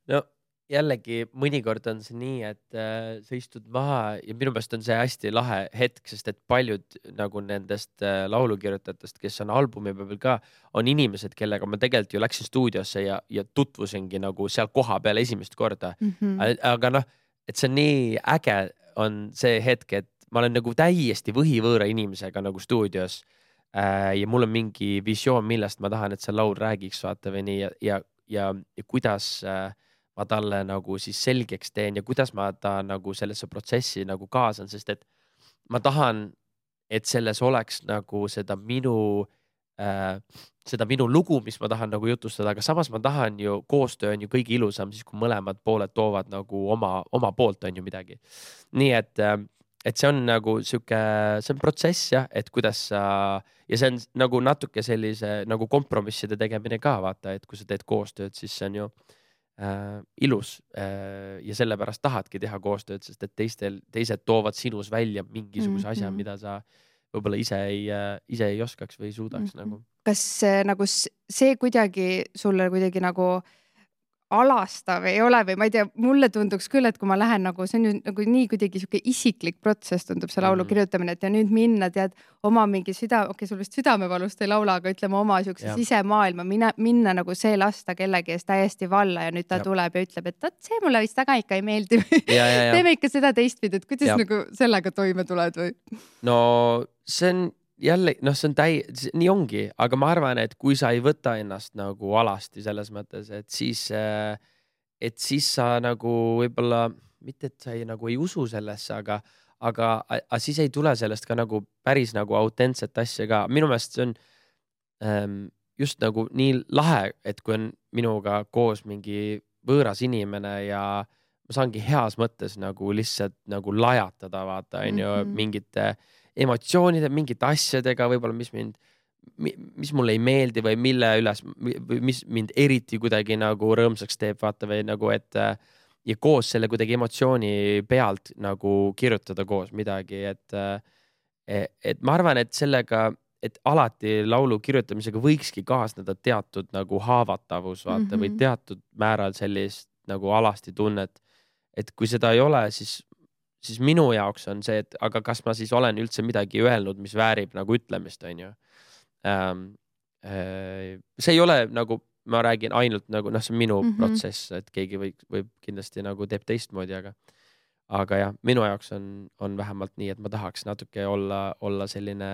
No jällegi mõnikord on see nii, et äh, sa istud maha ja minu pärast on see hästi lahe hetk, sest et paljud nagu nendest äh, laulukirjutajatest, kes on albumi peal ka, on inimesed, kellega ma tegelikult ju läksin stuudiosse ja, ja tutvusingi nagu seal koha peal esimest korda. Mm-hmm. Aga noh, et see on nii äge on see hetk, et ma olen nagu täiesti võhivõõra inimesega nagu stuudios äh, ja mul on mingi visioon, millest ma tahan, et see laul räägiks, vaata või nii ja, ja, ja, ja kuidas äh, ma talle nagu siis selgeks teen ja kuidas ma ta nagu sellesse protsessi nagu kaasan, sest et ma tahan, et selles oleks nagu seda minu äh, seda minu lugu, mis ma tahan nagu jutustada, aga samas ma tahan ju, koostöö on ju kõige ilusam siis, kui mõlemad pooled toovad nagu oma, oma poolt on ju midagi. Nii et, et see on nagu siuke, see on protsess jah, et kuidas sa, ja see on nagu natuke sellise nagu kompromisside tegemine ka, vaata, et kui sa teed koostööd, siis see on ju äh, ilus äh, ja sellepärast tahadki teha koostööd, sest et teistel, teised toovad sinus välja mingisuguse asja, mm-hmm. mida sa võib-olla ise ei, ise ei oskaks või ei suudaks mm-hmm. nagu. Kas nagu see kuidagi sulle kuidagi nagu alastav ei ole või ma ei tea, mulle tunduks küll, et kui ma lähen nagu, see on ju nagu nii kuidagi siuke isiklik protsess tundub see laulu mm. kirjutamine, et ja nüüd minna tead oma mingi süda, okei okay, sul vist südamevalust ei laula, aga ütleme oma siukse sisemaailma, minna, minna nagu see lasta kellegi eest täiesti valla ja nüüd ta ja. tuleb ja ütleb, et see mulle vist väga ikka ei meeldi või teeme ikka seda teistpidi, et kuidas ja. nagu sellega toime tuled või? No see on jälle, noh, see on täi-, nii ongi, aga ma arvan, et kui sa ei võta ennast nagu alasti selles mõttes, et siis, et siis sa nagu võib-olla, mitte et sa ei, nagu ei usu sellesse, aga, aga, aga siis ei tule sellest ka nagu päris nagu autentset asja ka. Minu meelest see on ähm, just nagu nii lahe, et kui on minuga koos mingi võõras inimene ja ma saangi heas mõttes nagu lihtsalt nagu lajatada, vaata, on ju, mm-hmm. mingite emotsioonide, mingite asjadega võib-olla, mis mind, mis mulle ei meeldi või mille üles, või mis mind eriti kuidagi nagu rõõmsaks teeb, vaata, või nagu, et ja koos selle kuidagi emotsiooni pealt nagu kirjutada koos midagi, et, et ma arvan, et sellega, et alati laulu kirjutamisega võikski kaasneda teatud nagu haavatavus, vaata, mm-hmm. või teatud määral sellist nagu alasti tunnet, et kui seda ei ole, siis siis minu jaoks on see, et aga kas ma siis olen üldse midagi öelnud, mis väärib nagu ütlemist, on ju. Ähm, äh, see ei ole nagu, ma räägin ainult nagu, noh, see on minu mm-hmm. protsess, et keegi võib, võib kindlasti nagu teeb teistmoodi, aga, aga jah, minu jaoks on, on vähemalt nii, et ma tahaks natuke olla, olla selline,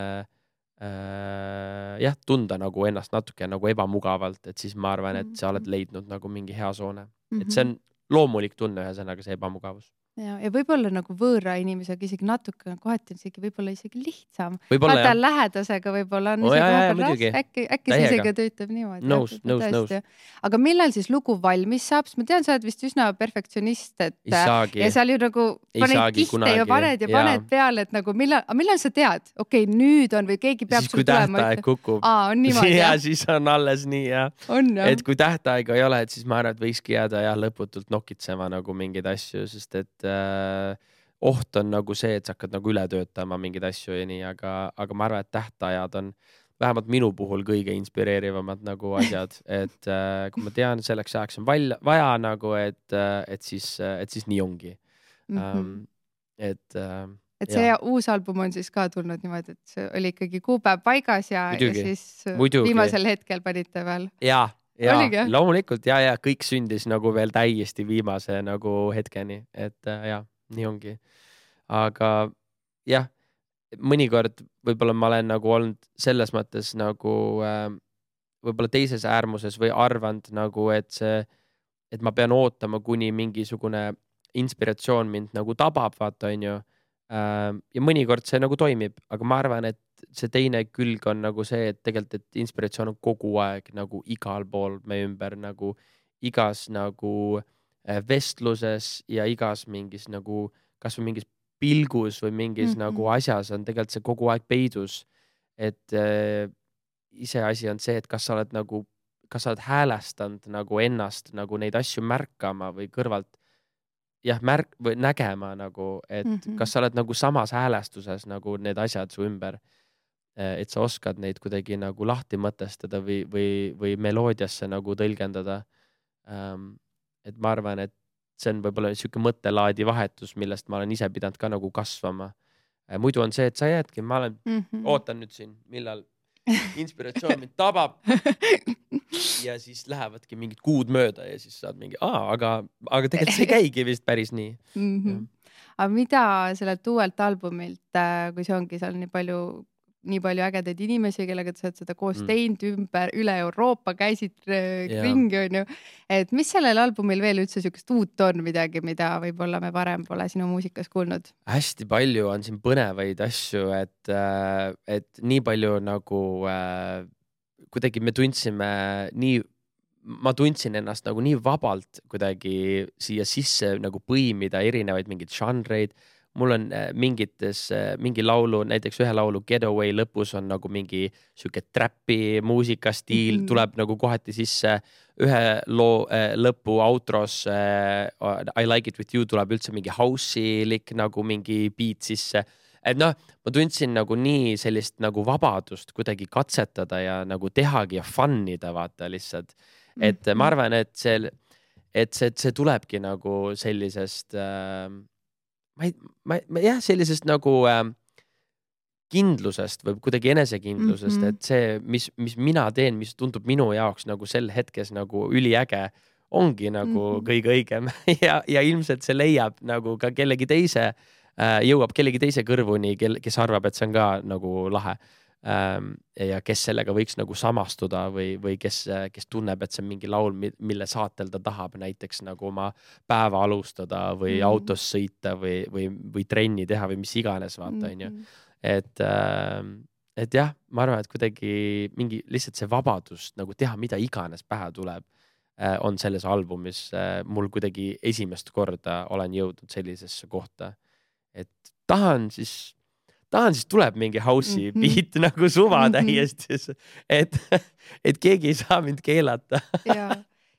äh, jah, tunda nagu ennast natuke nagu ebamugavalt, et siis ma arvan, et sa oled leidnud nagu mingi hea soone. Mm-hmm. Et see on loomulik tunne ühesõnaga see ebamugavus. Ja, ja võib-olla nagu võõra inimesega isegi natuke, kohati on isegi võib-olla isegi lihtsam. Vaata lähedasega võib-olla on oh, isegi jah, raske, äkki, äkki see isegi töötab niimoodi. Nõus, nõus, nõus. Aga millal siis lugu valmis saab? Ma tean, sa oled vist üsna perfektsionist, et ja seal ju nagu paned kihte ja paned ja paned ja. peale, et nagu millal, millal sa tead? Okei, okay, nüüd on või keegi peab siis, sul tulema. Siis kui tähtaeg kukub. Aa, on niimoodi. Ja siis on alles nii, ja. On, ja. Et kui tähtaega ei ole, et siis ma arvan, et võikski jääda ja lõputult nokitsema nagu mingeid asju, sest et äh, oht on nagu see, et sa hakkad nagu üle töötama mingeid asju ja nii, aga, aga ma arvan, et tähtajad on vähemalt minu puhul kõige inspireerivamad nagu asjad, et äh, kui ma tean, selleks ajaks on vaja, vaja nagu, et, et, siis, et siis nii ongi. Mm-hmm. Um, et, äh, et see jah. Uus album on siis ka tulnud niimoodi, et see oli ikkagi kuupäev paigas ja, ja siis Muidugi. Viimasel hetkel panite veel. Ja, ja loomulikult ja, ja kõik sündis nagu veel täiesti viimase nagu hetkeni, et äh, ja nii ongi. Aga jah, mõnikord võib-olla ma olen nagu olnud selles mõttes nagu äh, võib-olla teises äärmuses või arvanud nagu, et see, et ma pean ootama, kuni mingisugune inspiratsioon mind nagu tabab, vaata, on ju. Äh, ja mõnikord see nagu toimib, aga ma arvan, et see teine külg on nagu see, et tegelikult, et inspiratsioon on kogu aeg nagu igal pool me ümber, nagu igas nagu vestluses ja igas mingis nagu, kas või mingis pilgus või mingis mm-hmm. nagu asjas on tegelikult see kogu aeg peidus. Et äh, ise asi on see, et kas sa oled nagu, kas sa oled häälestanud nagu ennast nagu neid asju märkama või kõrvalt jah, märk või nägema nagu, et mm-hmm. kas sa oled nagu samas häälestuses nagu need asjad su ümber, et sa oskad neid kuidagi nagu lahti mõtestada või, või, või meloodiasse nagu tõlgendada. Um, et ma arvan, et see on võib-olla niisugune mõttelaadi vahetus, millest ma olen ise pidanud ka nagu kasvama. Muidu on see, et sa jäädki, ma olen, mm-hmm. ootan nüüd siin, millal inspiratsioon mind tabab ja siis lähevadki mingid kuud mööda ja siis saad mingi, aa, aga, aga tegelikult see käigi vist päris nii. Mm-hmm. Aga mida sellelt uuelt albumilt, kui see ongi seal nii palju nii palju ägedaid inimesi, kellega sa oled seda koos mm. teinud ümber, üle Euroopa käisid yeah. ringi, on ju. Et mis sellel albumil veel üldse sükest uut on midagi, mida võib-olla me varem pole sinu muusikas kuulnud? Hästi palju on siin põnevaid asju, et, et nii palju nagu äh, kuidagi me tundsime nii, ma tundsin ennast nagu nii vabalt kuidagi siia sisse nagu põimida erinevaid mingeid žanreid. Mul on mingites, mingi laulu, näiteks ühe laulu Getaway lõpus on nagu mingi siuke trappi muusikastiil, mm-hmm. tuleb nagu kohati sisse. Ühe loo äh, lõpu outros äh, I Like It With You tuleb üldse mingi house'ilik nagu mingi beat sisse. et noh, ma tundsin nagu nii sellist nagu vabadust kuidagi katsetada ja nagu tehagi ja fun'ida vaata lihtsalt. Et mm-hmm. ma arvan, et see, et see, see tulebki nagu sellisest äh, ma ei, ma, ma jah, sellisest nagu äh, kindlusest või kuidagi enesekindlusest, mm-hmm. et see, mis, mis mina teen, mis tundub minu jaoks nagu sel hetkes nagu üliäge, ongi nagu mm-hmm. kõige õigem ja, ja ilmselt see leiab nagu ka kellegi teise, äh, jõuab kellegi teise kõrvuni, kel, kes arvab, et see on ka nagu lahe. Ähm, ja kes sellega võiks nagu samastuda või, või kes, kes tunneb, et see on mingi laul, mille saatel ta tahab näiteks nagu oma päeva alustada või mm-hmm. autos sõita või, või, või trenni teha või mis iganes, vaata, on ju. Et, äh, et jah, ma arvan, et kuidagi mingi lihtsalt see vabadus nagu teha, mida iganes pähe tuleb, äh, on selles albumis. Äh, mul kuidagi esimest korda olen jõudnud sellisesse kohta, et tahan siis, tahan siis tuleb mingi house'i mm-hmm. beat nagu suva mm-hmm. täiesti, et, et keegi ei saa mind keelata. ja,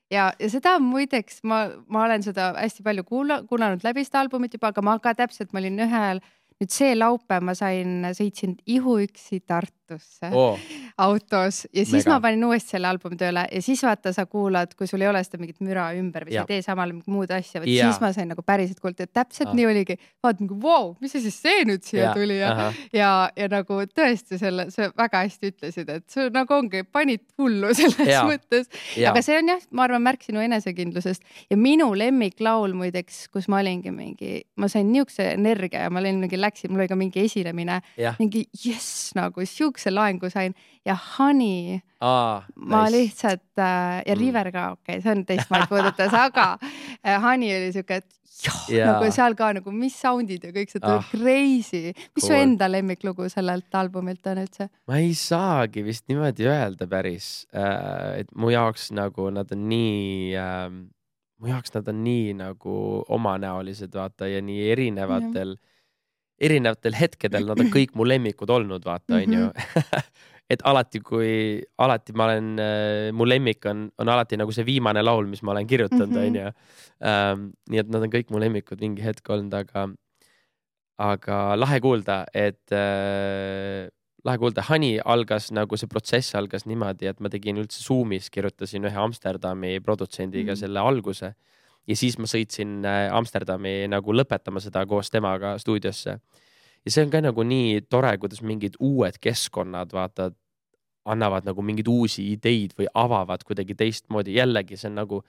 ja, ja seda muideks, ma, ma olen seda hästi palju kuula, kuulanud läbi seda albumit juba, aga ma ka täpselt, ma olin ühel nüüd see laupäev ma sain, sõitsin ihuüksi Tartusse oh. autos ja siis Mega. Ma panin uuesti selle albumi tööle ja siis vaata, sa kuulad, kui sul ei ole seda mingit müra ümber või sa ei tee samal muud asja, ja. siis ma sain nagu päriselt kuulda, et täpselt ah. nii oligi. Vaat nagu, wow, mis see siis see nüüd siia ja. Tuli ja, ja, ja nagu tõesti selle, see väga hästi ütlesid, et see nagu ongi, panid hullu selles ja. Mõttes. Ja. Aga see on jah, ma arvan, märk sinu enesekindlusest ja minu lemmiklaul muideks, kus ma olingi mingi, ma sain niisuguse energia ja ma olin mingi läksin, mul oli ka mingi esilemine, ja. Mingi jess, nagu siukse laengu sain ja Honey, ah, ma nice. Lihtsalt äh, ja River ka, okei, okay, see on teistmaalt puudutas, aga äh, Honey oli siuke, et joh, yeah. nagu seal ka nagu mis soundid ja kõik see ah, crazy. Mis cool. Su enda lemmiklugu sellelt albumilt on üldse? Ma ei saagi vist niimoodi öelda päris, äh, et mu jaoks nagu nad on nii... Äh, mu jaoks nad on nii nagu omanäolised, vaata, ja nii erinevatel mm. erinevatel hetkedel nad on kõik mu lemmikud olnud, vaata, on ju. Et alati, kui alati ma olen, mu lemmik on, on alati nagu see viimane laul, mis ma olen kirjutanud, on ju. Um, nii et nad on kõik mu lemmikud mingi hetk olnud, aga, aga lahe kuulda, et äh, lahe kuulda. Honey algas nagu see protsess algas niimoodi, et ma tegin üldse Zoomis, kirjutasin ühe Amsterdami produtsendiga mm. selle alguse. Ja siis ma sõitsin Amsterdami nagu lõpetama seda koos temaga stuudiosse. Ja see on ka nagu nii tore, kuidas mingid uued keskkonnad, vaata, annavad nagu mingid uusi ideid või avavad kuidagi teistmoodi. Jällegi see on nagu,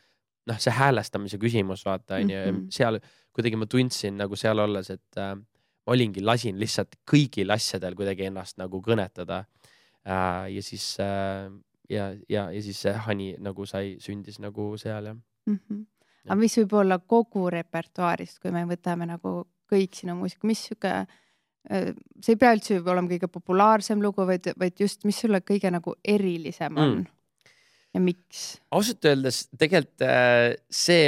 noh, see häälestamise küsimus, vaata, on ju. Mm-hmm. Seal kuidagi ma tundsin nagu seal olles, et äh, ma olingi, lasin lihtsalt kõigil asjadel kuidagi ennast nagu kõnetada. Äh, ja siis, äh, ja, ja, ja siis see Honey nagu sai, sündis nagu seal, jah. Mm-hmm. Aga mis võib olla kogu repertuaarist, kui me võtame nagu kõik sinu muusika, mis süke, see ei pea üldse olema kõige populaarsem lugu, vaid, vaid just, mis sulle kõige nagu erilisem on mm. ja miks? Ausalt öeldes tegelikult see,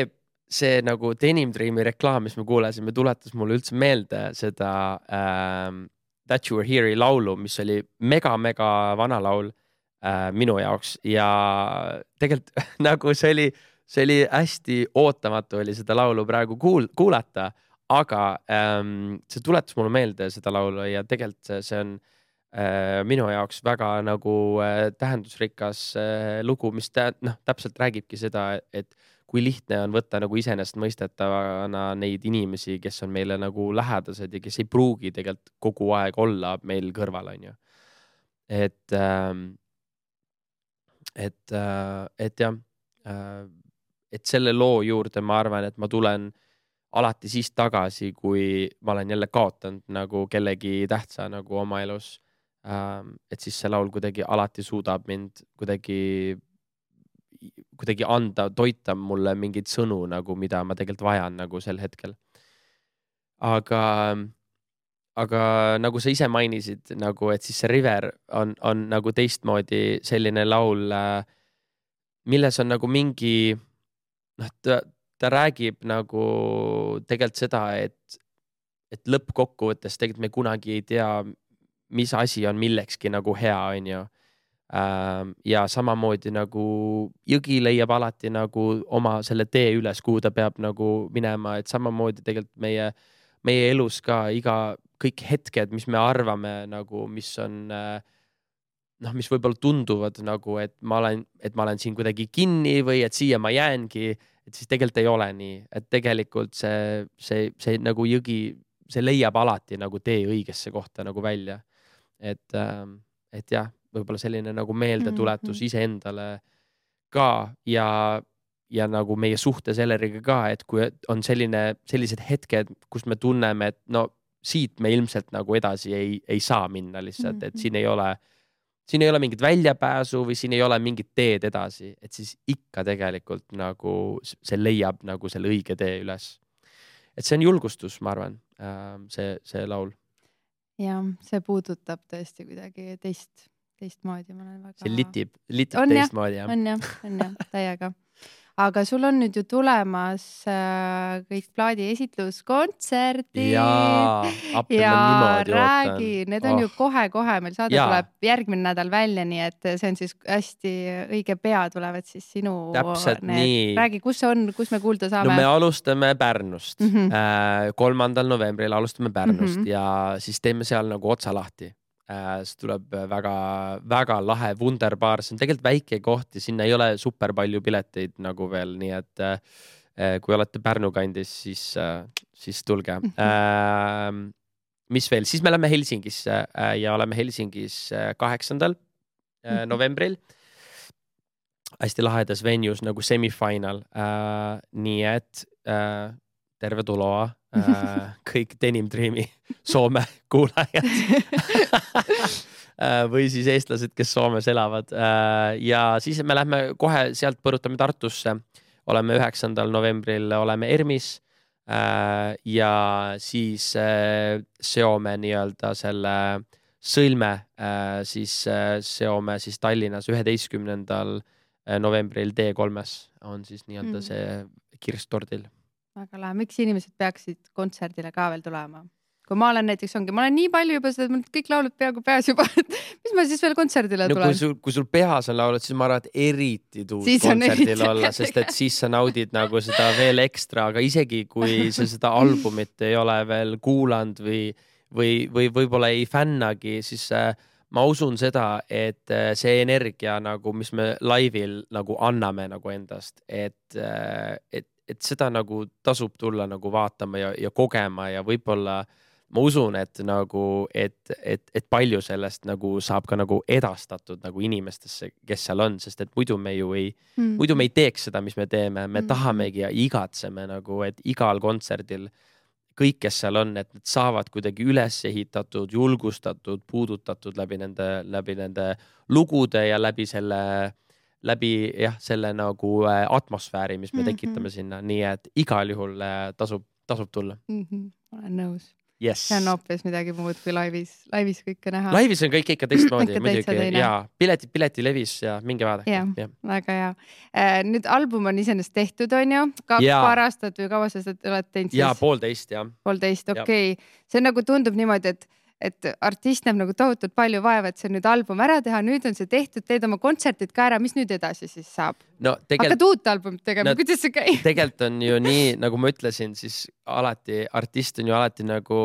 see nagu Denim Dreami reklaam, mis me kuulasime, tuletas mulle üldse meelde seda ähm, That You Were Here'i laulu, mis oli mega-mega vana laul äh, minu jaoks ja tegelikult nagu see oli See oli hästi ootamatu oli seda laulu praegu kuul, kuulata, aga ähm, see tuletas mulle meelde seda laulu ja tegelikult see, see on äh, minu jaoks väga nagu äh, tähendusrikas äh, lugu, mis tä, noh, täpselt räägibki seda, et kui lihtne on võtta nagu iseenesestmõistetavana neid inimesi, kes on meile nagu lähedased ja kes ei pruugi tegelikult kogu aeg olla meil kõrval, on ju. Et, äh, et, äh, et jah, äh, et selle loo juurde ma arvan, et ma tulen alati siis tagasi, kui ma olen jälle kaotanud nagu kellegi tähtsa nagu oma elus. Et siis see laul kuidagi alati suudab mind kuidagi, kuidagi anda, toita mulle mingeid sõnu, nagu, mida ma tegelikult vajan nagu sel hetkel. Aga, aga nagu sa ise mainisid, nagu, et siis see River on, on nagu teistmoodi selline laul, milles on nagu mingi noh, ta, ta räägib nagu tegelikult seda, et, et lõppkokkuvõttes tegelikult me kunagi ei tea, mis asi on millekski nagu hea, on ju. Ja samamoodi nagu jõgi leiab alati nagu oma selle tee üles, kuhu ta peab nagu minema, et samamoodi tegelikult meie meie elus ka iga, kõik hetked, mis me arvame nagu, mis on noh, mis võib-olla tunduvad nagu, et ma olen, et ma olen siin kuidagi kinni või et siia ma jäängi, et siis tegelikult ei ole nii, et tegelikult see, see, see nagu jõgi, see leiab alati nagu tee õigesse kohta nagu välja. Et, et jah, võib-olla selline nagu meeldetuletus mm-hmm. iseendale ka ja, ja nagu meie suhte selleriga ka, et kui on selline, sellised hetked, kus me tunneme, et no siit me ilmselt nagu edasi ei, ei saa minna lihtsalt, mm-hmm. et siin ei ole siin ei ole mingit väljapääsu või siin ei ole mingit teed edasi, et siis ikka tegelikult nagu see leiab nagu selle õige tee üles. Et see on julgustus, ma arvan, see, see laul. Ja see puudutab tõesti kuidagi teist, teistmoodi. Ma olen väga... See litib, litib on teistmoodi. Ja, on jah, on jah, täiega. Aga sul on nüüd ju tulemas äh, kõik plaadi esitluskontserdid. Jaa, appi ja ma niimoodi räägi, ootan. Need on oh. ju kohe-kohe, meil saade Jaa. tuleb järgmine nädal välja, nii et see on siis hästi õige pea tulevad siis sinu. Täpselt need. Nii. Räägi, kus on, kus me kuulda saame? No me alustame Pärnust. Mm-hmm. Äh, kolmandal novembril alustame Pärnust mm-hmm. ja siis teeme seal nagu otsa lahti. See tuleb väga, väga lahe Wunderbar, see on tegelikult väike koht ja sinna ei ole super palju pileteid nagu veel, nii et äh, kui olete Pärnu kandis, siis, äh, siis tulge. Äh, mis veel? Siis me lähme Helsingisse äh, ja oleme Helsingis kaheksandal äh, novembril. Hästi lahedas venues nagu semifinal. Äh, nii et äh, terve tuloa. äh, kõik Denim Dreami Soome kuulajad või siis eestlased, kes Soomes elavad äh, ja siis me lähme kohe sealt põrutame Tartusse, oleme üheksandal novembril oleme Ermis äh, ja siis äh, seome nii-öelda selle sõlme äh, siis äh, seome siis Tallinnas üheteistkümnendal novembril D kolmes on siis nii-öelda mm. see kirstordil. Väga lahe. Miks inimesed peaksid kontserdile ka veel tulema? Kui ma olen näiteks ongi, ma olen nii palju juba seda, kõik laulud peaaegu peas juba, mis ma siis veel kontserdile no, tulen? Kui sul, kui sul peas on laulud, siis ma arvan, et eriti tuud kontserdil olla, sest et siis sa naudid nagu seda veel ekstra, aga isegi kui sa seda albumit ei ole veel kuulanud või, või, või võib-olla ei fännagi, siis ma usun seda, et see energia nagu, mis me laivil nagu anname nagu endast, et, et et seda nagu tasub tulla nagu vaatama ja, ja kogema ja võib-olla ma usun, et nagu, et, et, et palju sellest nagu saab ka nagu edastatud nagu inimestesse, kes seal on, sest et muidu me ju ei, mm. muidu me ei teeks seda, mis me teeme, me mm. tahamegi ja igatseme nagu, et igal kontserdil kõik, kes seal on, et nad saavad kuidagi üles ehitatud, julgustatud, puudutatud läbi nende, läbi nende lugude ja läbi selle läbi jah, selle nagu atmosfääri, mis me mm-hmm. tekitame sinna, nii et igal juhul tasub, tasub tulla. Mm-hmm. Olen nõus. Yes. See on hoopis midagi muud kui laivis, laivis kõike näha. Laivis on kõik ikka teistmoodi, muidugi. Ja pileti, pileti levis ja minge vaadake. Ja, ja. Väga hea. Nüüd album on iseenesest tehtud, on ju? Kaks ja. paar aastat või kaua sa seda oled teinud? Ja, poolteist, ja. Poolteist, okei. Okay. See nagu tundub niimoodi, et et artist näeb nagu tohutult palju vaeva, et see nüüd album ära teha, nüüd on see tehtud, teed oma kontserdid ka ära, mis nüüd edasi siis saab? No, tegelt... Hakkad uut albumit tegema, no, kuidas see käib? Tegelikult on ju nii, nagu ma ütlesin, siis alati, artist on ju alati nagu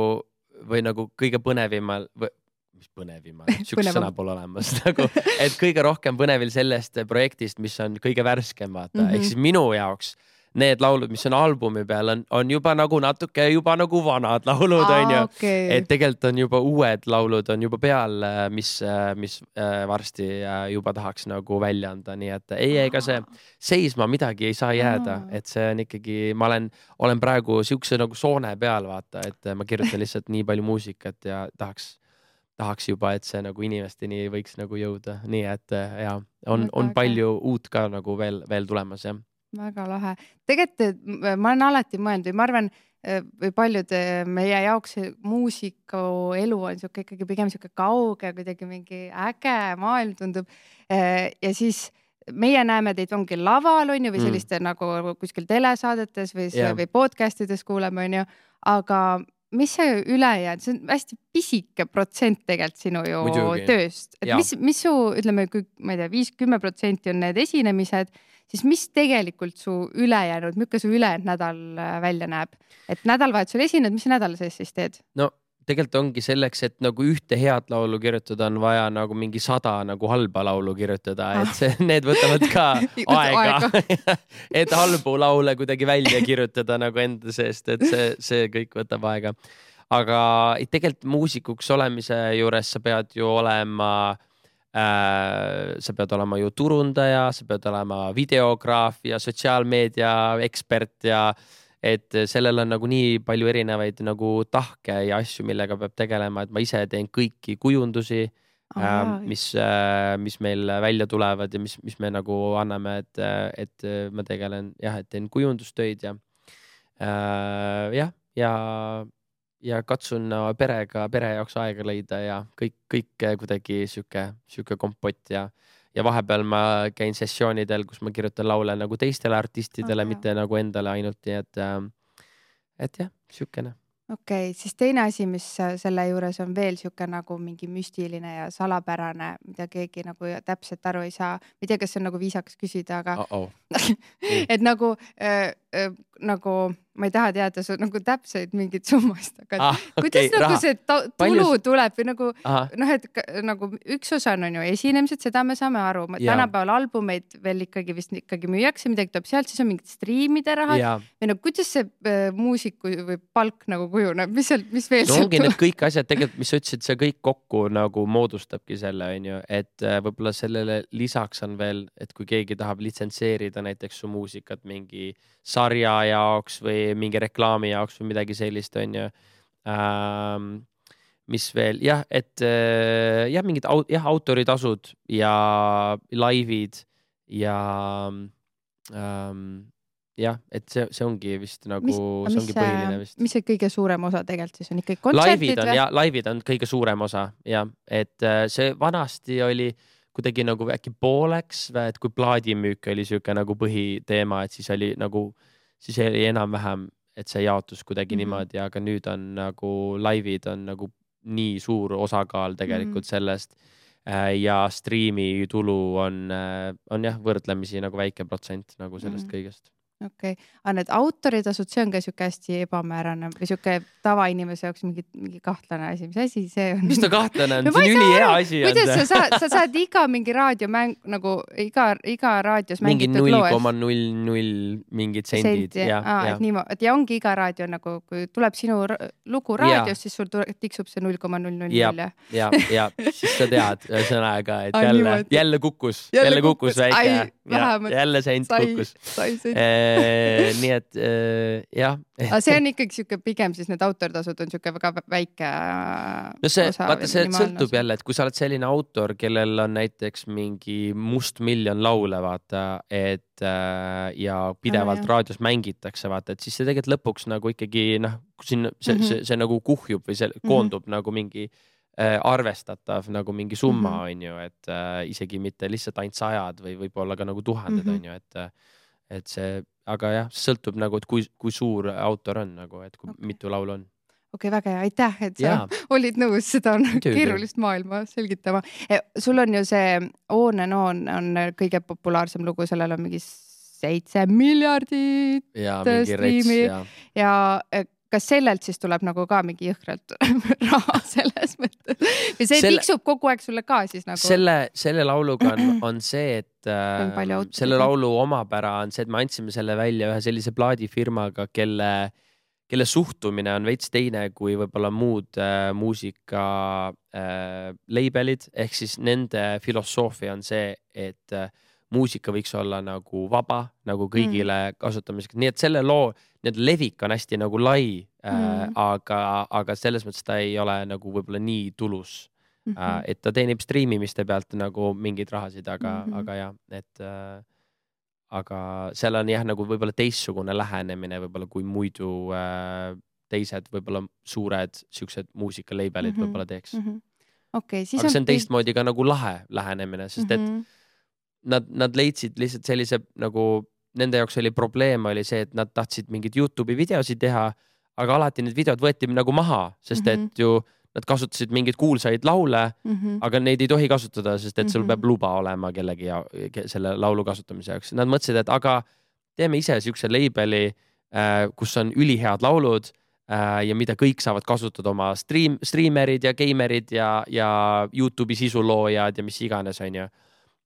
või nagu kõige põnevimal või mis põnevimal, sükks sõna pole olemas nagu, et kõige rohkem põnevil sellest projektist, mis on kõige värskem vaata, mm-hmm. ehk siis minu jaoks need laulud, mis on albumi peal, on, on juba nagu natuke juba nagu vanad laulud, Aa, on ju. Okay. Et tegelikult on juba uued laulud on juba peal, mis, mis varsti juba tahaks nagu välja anda. Nii et ei, ega see seisma midagi ei saa jääda. Aa. Et see on ikkagi, ma olen, olen praegu siukse nagu soone peal, vaata, et ma kirjutan lihtsalt nii palju muusikat ja tahaks, tahaks juba, et see nagu inimesteni võiks nagu jõuda. Nii et ja, on, on palju uut ka nagu veel, veel tulemas, jah. Väga lahe. Tegelikult ma olen alati mõelnud või ma arvan, või paljud meie jaoks muusiku elu on siuke ikkagi pigem siuke kauge, kuidagi mingi äge maailm tundub. Ja siis meie näeme teid ongi laval, on ju, või selliste mm. nagu kuskil telesaadetes või, yeah. või podcastides kuuleme, on ju. Aga mis see ülejäänud, see on hästi pisike protsent tegelikult sinu ju Muidugi. tööst. Et mis, mis su, ütleme, kui ma ei tea, viis kümme protsenti on need esinemised, siis mis tegelikult su ülejäänud, milline su ülejäänud nädal välja näeb? Et nädalavahetusel esined, mis sa nädala sees siis teed? No tegelikult ongi selleks, et nagu ühte head laulu kirjutada, on vaja nagu mingi sada nagu halba laulu kirjutada, et see, need võtavad ka aega, et halbu laule kuidagi välja kirjutada nagu enda seest, et see, see kõik võtab aega. Aga tegelikult muusikuks olemise juures sa pead ju olema, äh, sa pead olema ju turundaja, sa pead olema videograaf ja sotsiaalmeedia ekspert ja et sellel on nagu nii palju erinevaid nagu tahke ja asju, millega peab tegelema, et ma ise teen kõiki kujundusi, äh, mis, äh, mis meil välja tulevad ja mis, mis me nagu anname, et, et ma tegelen jah, et teen kujundustöid ja äh, jah, ja, ja katsun perega, pere jaoks aega leida ja kõik, kõik kuidagi siuke, siuke kompott ja Ja vahepeal ma käin sessioonidel, kus ma kirjutan laule nagu teistele artistidele, okay. mitte nagu endale ainult, nii et, et jah, siukene. Okei, okay, siis teine asi, mis selle juures on veel siuke nagu mingi müstiline ja salapärane, mida keegi nagu täpselt aru ei saa. Ma ei tea, kas see on nagu viisakas küsida, aga uh -oh. et nagu, äh, äh, nagu ma ei taha teada su nagu täpseid mingid summast, aga ah, kuidas okay, nagu raha. See tulu Paljus... tuleb või nagu, noh, et nagu üks osa on ju esinemised, seda me saame aru. Tänapäeval albumeid veel ikkagi vist ikkagi müüakse, midagi tuleb sealt, siis on mingid striimide rahad. Ja. Või nagu, kuidas see äh, muusiku või palk nagu kujuneb, mis seal, mis veel no, ongi need kõik asjad tegelikult, mis sa ütlesid, see kõik kokku nagu moodustabki selle, on ju, et äh, võib-olla sellele lisaks on veel, et kui keegi tahab litsentseerida näiteks su muusikat mingi sarja jaoks või mingi reklaami jaoks või midagi sellist, on ju. Ähm, mis veel? Jah, et jah, mingid aut jah, autoritasud ja laivid ja ähm, jah, et see, see ongi vist nagu, mis, see ongi põhiline vist. Mis see kõige suurem osa tegelikult siis on ikkagi kontsertid? Laivid on, ja, laivid on kõige suurem osa, ja, et see vanasti oli kuidagi nagu äkki pooleks, et kui plaadimüük oli siuke nagu põhiteema, et siis oli nagu, siis oli enam-vähem, et see jaotus kuidagi mm -hmm. niimoodi, aga nüüd on nagu laivid on nagu nii suur osakaal tegelikult mm -hmm. sellest ja striimi tulu on, on jah, võrdlemisi nagu väike protsent nagu sellest mm -hmm. kõigest. Okei, okay. Aga need autoritasud, see on ka siuke hästi ebamäärane või siuke tavainimese jaoks mingi, mingi kahtlane asi. Mis asi see on? Mis ta kahtlane on? No, see on üli hea asi. Kuidas sa saad, sa saad iga mingi raadiomäng, nagu iga, iga raadios mängitud loes? Mingi null koma null null mingid sendid. Sent, ja, Aa, ja. Et, niimo, et ja ongi iga raadio nagu, kui tuleb sinu lugu raadios, siis sul tiksub see null koma null null null. Ja, ja, ja, siis sa tead ühesõnaga, et jälle, jälle kukkus, jälle, jälle kukkus väike. Ai, ja, jälle sent kukkus. Sai, sai nii et äh, jah. Aga see on ikkagi siuke pigem siis need autortasud on siuke väga väike no see, osa. Vaata, see sõltub jälle, et kui sa oled selline autor, kellel on näiteks mingi must miljon laule, vaata, et äh, ja pidevalt ah, raadios mängitakse, vaata, et siis see tegelikult lõpuks nagu ikkagi, noh, siin see, mm -hmm. see, see nagu kuhjub või see koondub mm -hmm. nagu mingi äh, arvestatav nagu mingi summa mm, -hmm. on ju, et äh, isegi mitte lihtsalt ainult sajad või võib-olla ka nagu tuhanded mm, -hmm. on ju, et et see, aga jah, sõltub nagu, et kui, kui suur autor on nagu, et kui okay. mitu laulu on. Okei, okay, väga hea, aitäh, et sa ja. olid nõus seda keerulist maailma selgitama. Sul on ju see On and On on kõige populaarsem lugu, sellel on mingi seitse miljardit ja, striimi ja. ja kas sellelt siis tuleb nagu ka mingi jõhkralt raha selles mõttes? Või see selle, tiksub kogu aeg sulle ka siis nagu? Selle, selle lauluga on, on see, et äh, selle laulu omapära on see, et me andsime selle välja ühe sellise plaadifirmaga, kelle, kelle suhtumine on veits teine kui võib-olla muud äh, muusika äh, labelid. Ehk siis nende filosoofia on see, et äh, muusika võiks olla nagu vaba, nagu kõigile mm. kasutamiseks. Nii et selle loo need levik on hästi nagu lai mm. äh,, aga, aga selles mõttes ta ei ole nagu võib-olla nii tulus mm. -hmm. äh, et ta teenib striimimiste pealt nagu mingeid rahasid, aga mm, -hmm. aga jah, et äh, aga seal on jah, nagu võib-olla teistsugune lähenemine võib-olla kui muidu äh, teised võib-olla suured siuksed muusikalabelid mm -hmm. võib-olla teeks mm. -hmm. Okay, siis aga see on teistmoodi ka nagu lahe lähenemine, sest et mm -hmm. nad, nad leidsid lihtsalt sellise nagu nende jaoks oli probleem oli see, et nad tahtsid mingeid YouTube'i videosid teha, aga alati need videod võeti nagu maha, sest mm -hmm. et ju nad kasutasid mingeid kuulsaid laule, mm -hmm. aga neid ei tohi kasutada, sest et sul mm -hmm. peab luba olema kellegi ja, selle laulu kasutamise jaoks. Nad mõtlesid, et aga teeme ise siukse labeli, kus on ülihead laulud ja mida kõik saavad kasutada oma stream, streamerid ja gamerid ja, ja YouTube'i sisuloojad ja mis iganes on ju.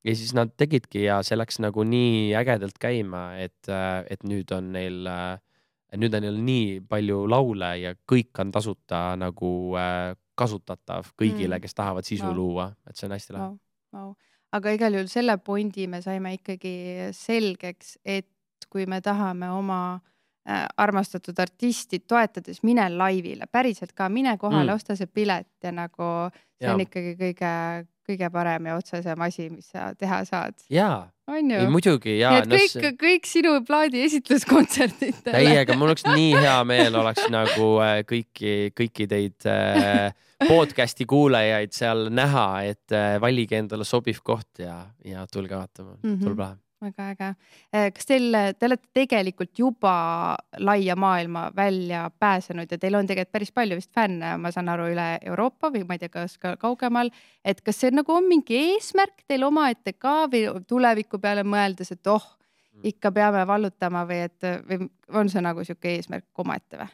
Ja siis nad tegidki ja see läks nagu nii ägedalt käima, et, et nüüd on neil, nüüd on neil nii palju laule ja kõik on tasuta nagu kasutatav kõigile, kes tahavad sisu wow. luua, et see on hästi lahe. Wow. Wow. Aga igal juhul selle pointi me saime ikkagi selgeks, et kui me tahame oma armastatud artisti toetades, mine laivile, päriselt ka, mine kohale mm., osta see pilet ja nagu see ja. on ikkagi kõige, kõige parem ja otsesem asi, mis sa teha saad. Jaa, on ju? Ei, muidugi, jaa. Nii et kõik, no, kõik sinu plaadi esitluskontserditele. Täiega, mul oleks nii hea meel oleks nagu kõiki, kõiki teid podcasti kuulajaid seal näha, et valige endale sobiv koht ja, ja tulge vaatama, mm -hmm. tuleb lahe. Väga äge. Kas teil, te olete tegelikult juba laia maailma välja pääsenud ja teil on tegelikult päris palju vist fänne, ma saan aru, üle Euroopa või ma ei tea, kas ka kaugemal, et kas see nagu on mingi eesmärk teil omaette ka või tuleviku peale mõeldes, et oh, ikka peame vallutama või et või on see nagu siuke eesmärk omaette või?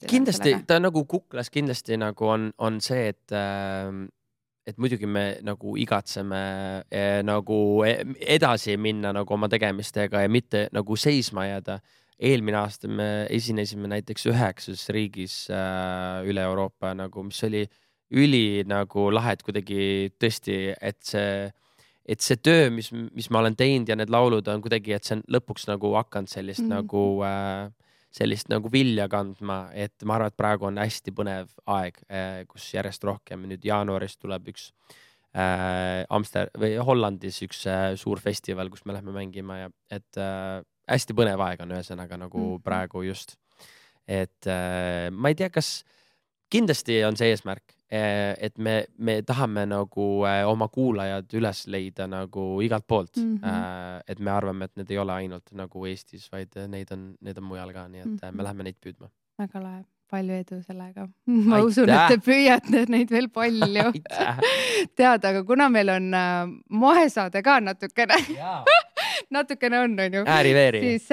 Kindlasti, ta nagu kuklas kindlasti nagu on, on see, et äh, et muidugi me nagu igatseme eh, nagu edasi minna nagu oma tegemistega ja mitte nagu seisma jääda. Eelmine aasta me esinesime näiteks üheksas riigis äh, üle Euroopa, nagu, mis oli üli nagu lahed kuidagi tõesti, et see, et see töö, mis, mis ma olen teinud ja need laulud on kuidagi, et see on lõpuks nagu hakanud sellist mm-hmm. nagu äh, sellist nagu vilja kandma, et ma arvan, et praegu on hästi põnev aeg, kus järjest rohkem. Nüüd jaanuaris tuleb üks äh, Amster- või Hollandis üks äh, suur festival, kus me lähme mängima ja et äh, hästi põnev aeg on ühesõnaga nagu mm-hmm. praegu just. Et äh, ma ei tea, kas kindlasti on see eesmärk, et me, me tahame nagu oma kuulajad üles leida nagu igalt poolt. Mm-hmm. Et me arvame, et need ei ole ainult nagu Eestis, vaid neid on, need on mujal ka, nii et mm-hmm. me läheme neid püüdma. Väga lahe, palju edu sellega. Ma Aitäh. usun, et te püüate neid veel palju teada, aga kuna meil on moesaade ka natukene natukene on, on ju. Ääri-veeri. Siis,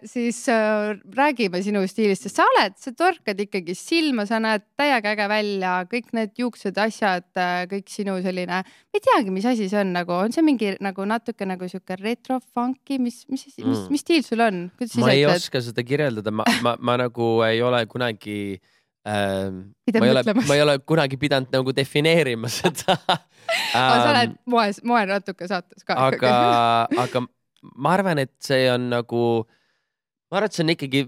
siis äh, räägime sinu stiilist, sest sa oled, sa torkad ikkagi silma, sa näed täiega äge välja, kõik need juuksed asjad, kõik sinu selline, ma ei teagi, mis asi see on, nagu on see mingi nagu natuke nagu siuke retro-funky, mis, mis, mis, mis, mis stiil sul on? Ma ei oska seda kirjeldada, ma, ma, ma nagu ei ole kunagi ähm, ma, ei ole, ma ei ole kunagi pidanud nagu defineerima seda ähm, sa oled moe, moe natuke saates ka. Aga, aga ma arvan, et see on nagu, ma arvan, et see on ikkagi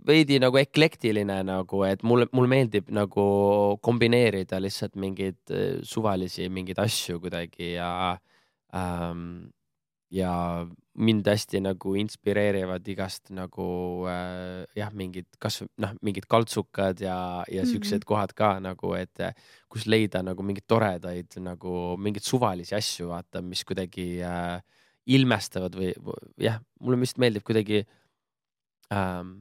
veidi nagu eklektiline nagu, et mulle, mulle meeldib nagu kombineerida lihtsalt mingeid suvalisi mingeid asju kuidagi ja ähm, ja mind hästi nagu inspireerivad igast nagu äh, jah, mingid, kas noh, mingid kaltsukad ja, ja siuksed mm-hmm. kohad ka nagu, et kus leida nagu mingid toredaid nagu mingid suvalisi asju, vaata, mis kuidagi äh, ilmestavad või jah, mulle vist meeldib kuidagi ähm,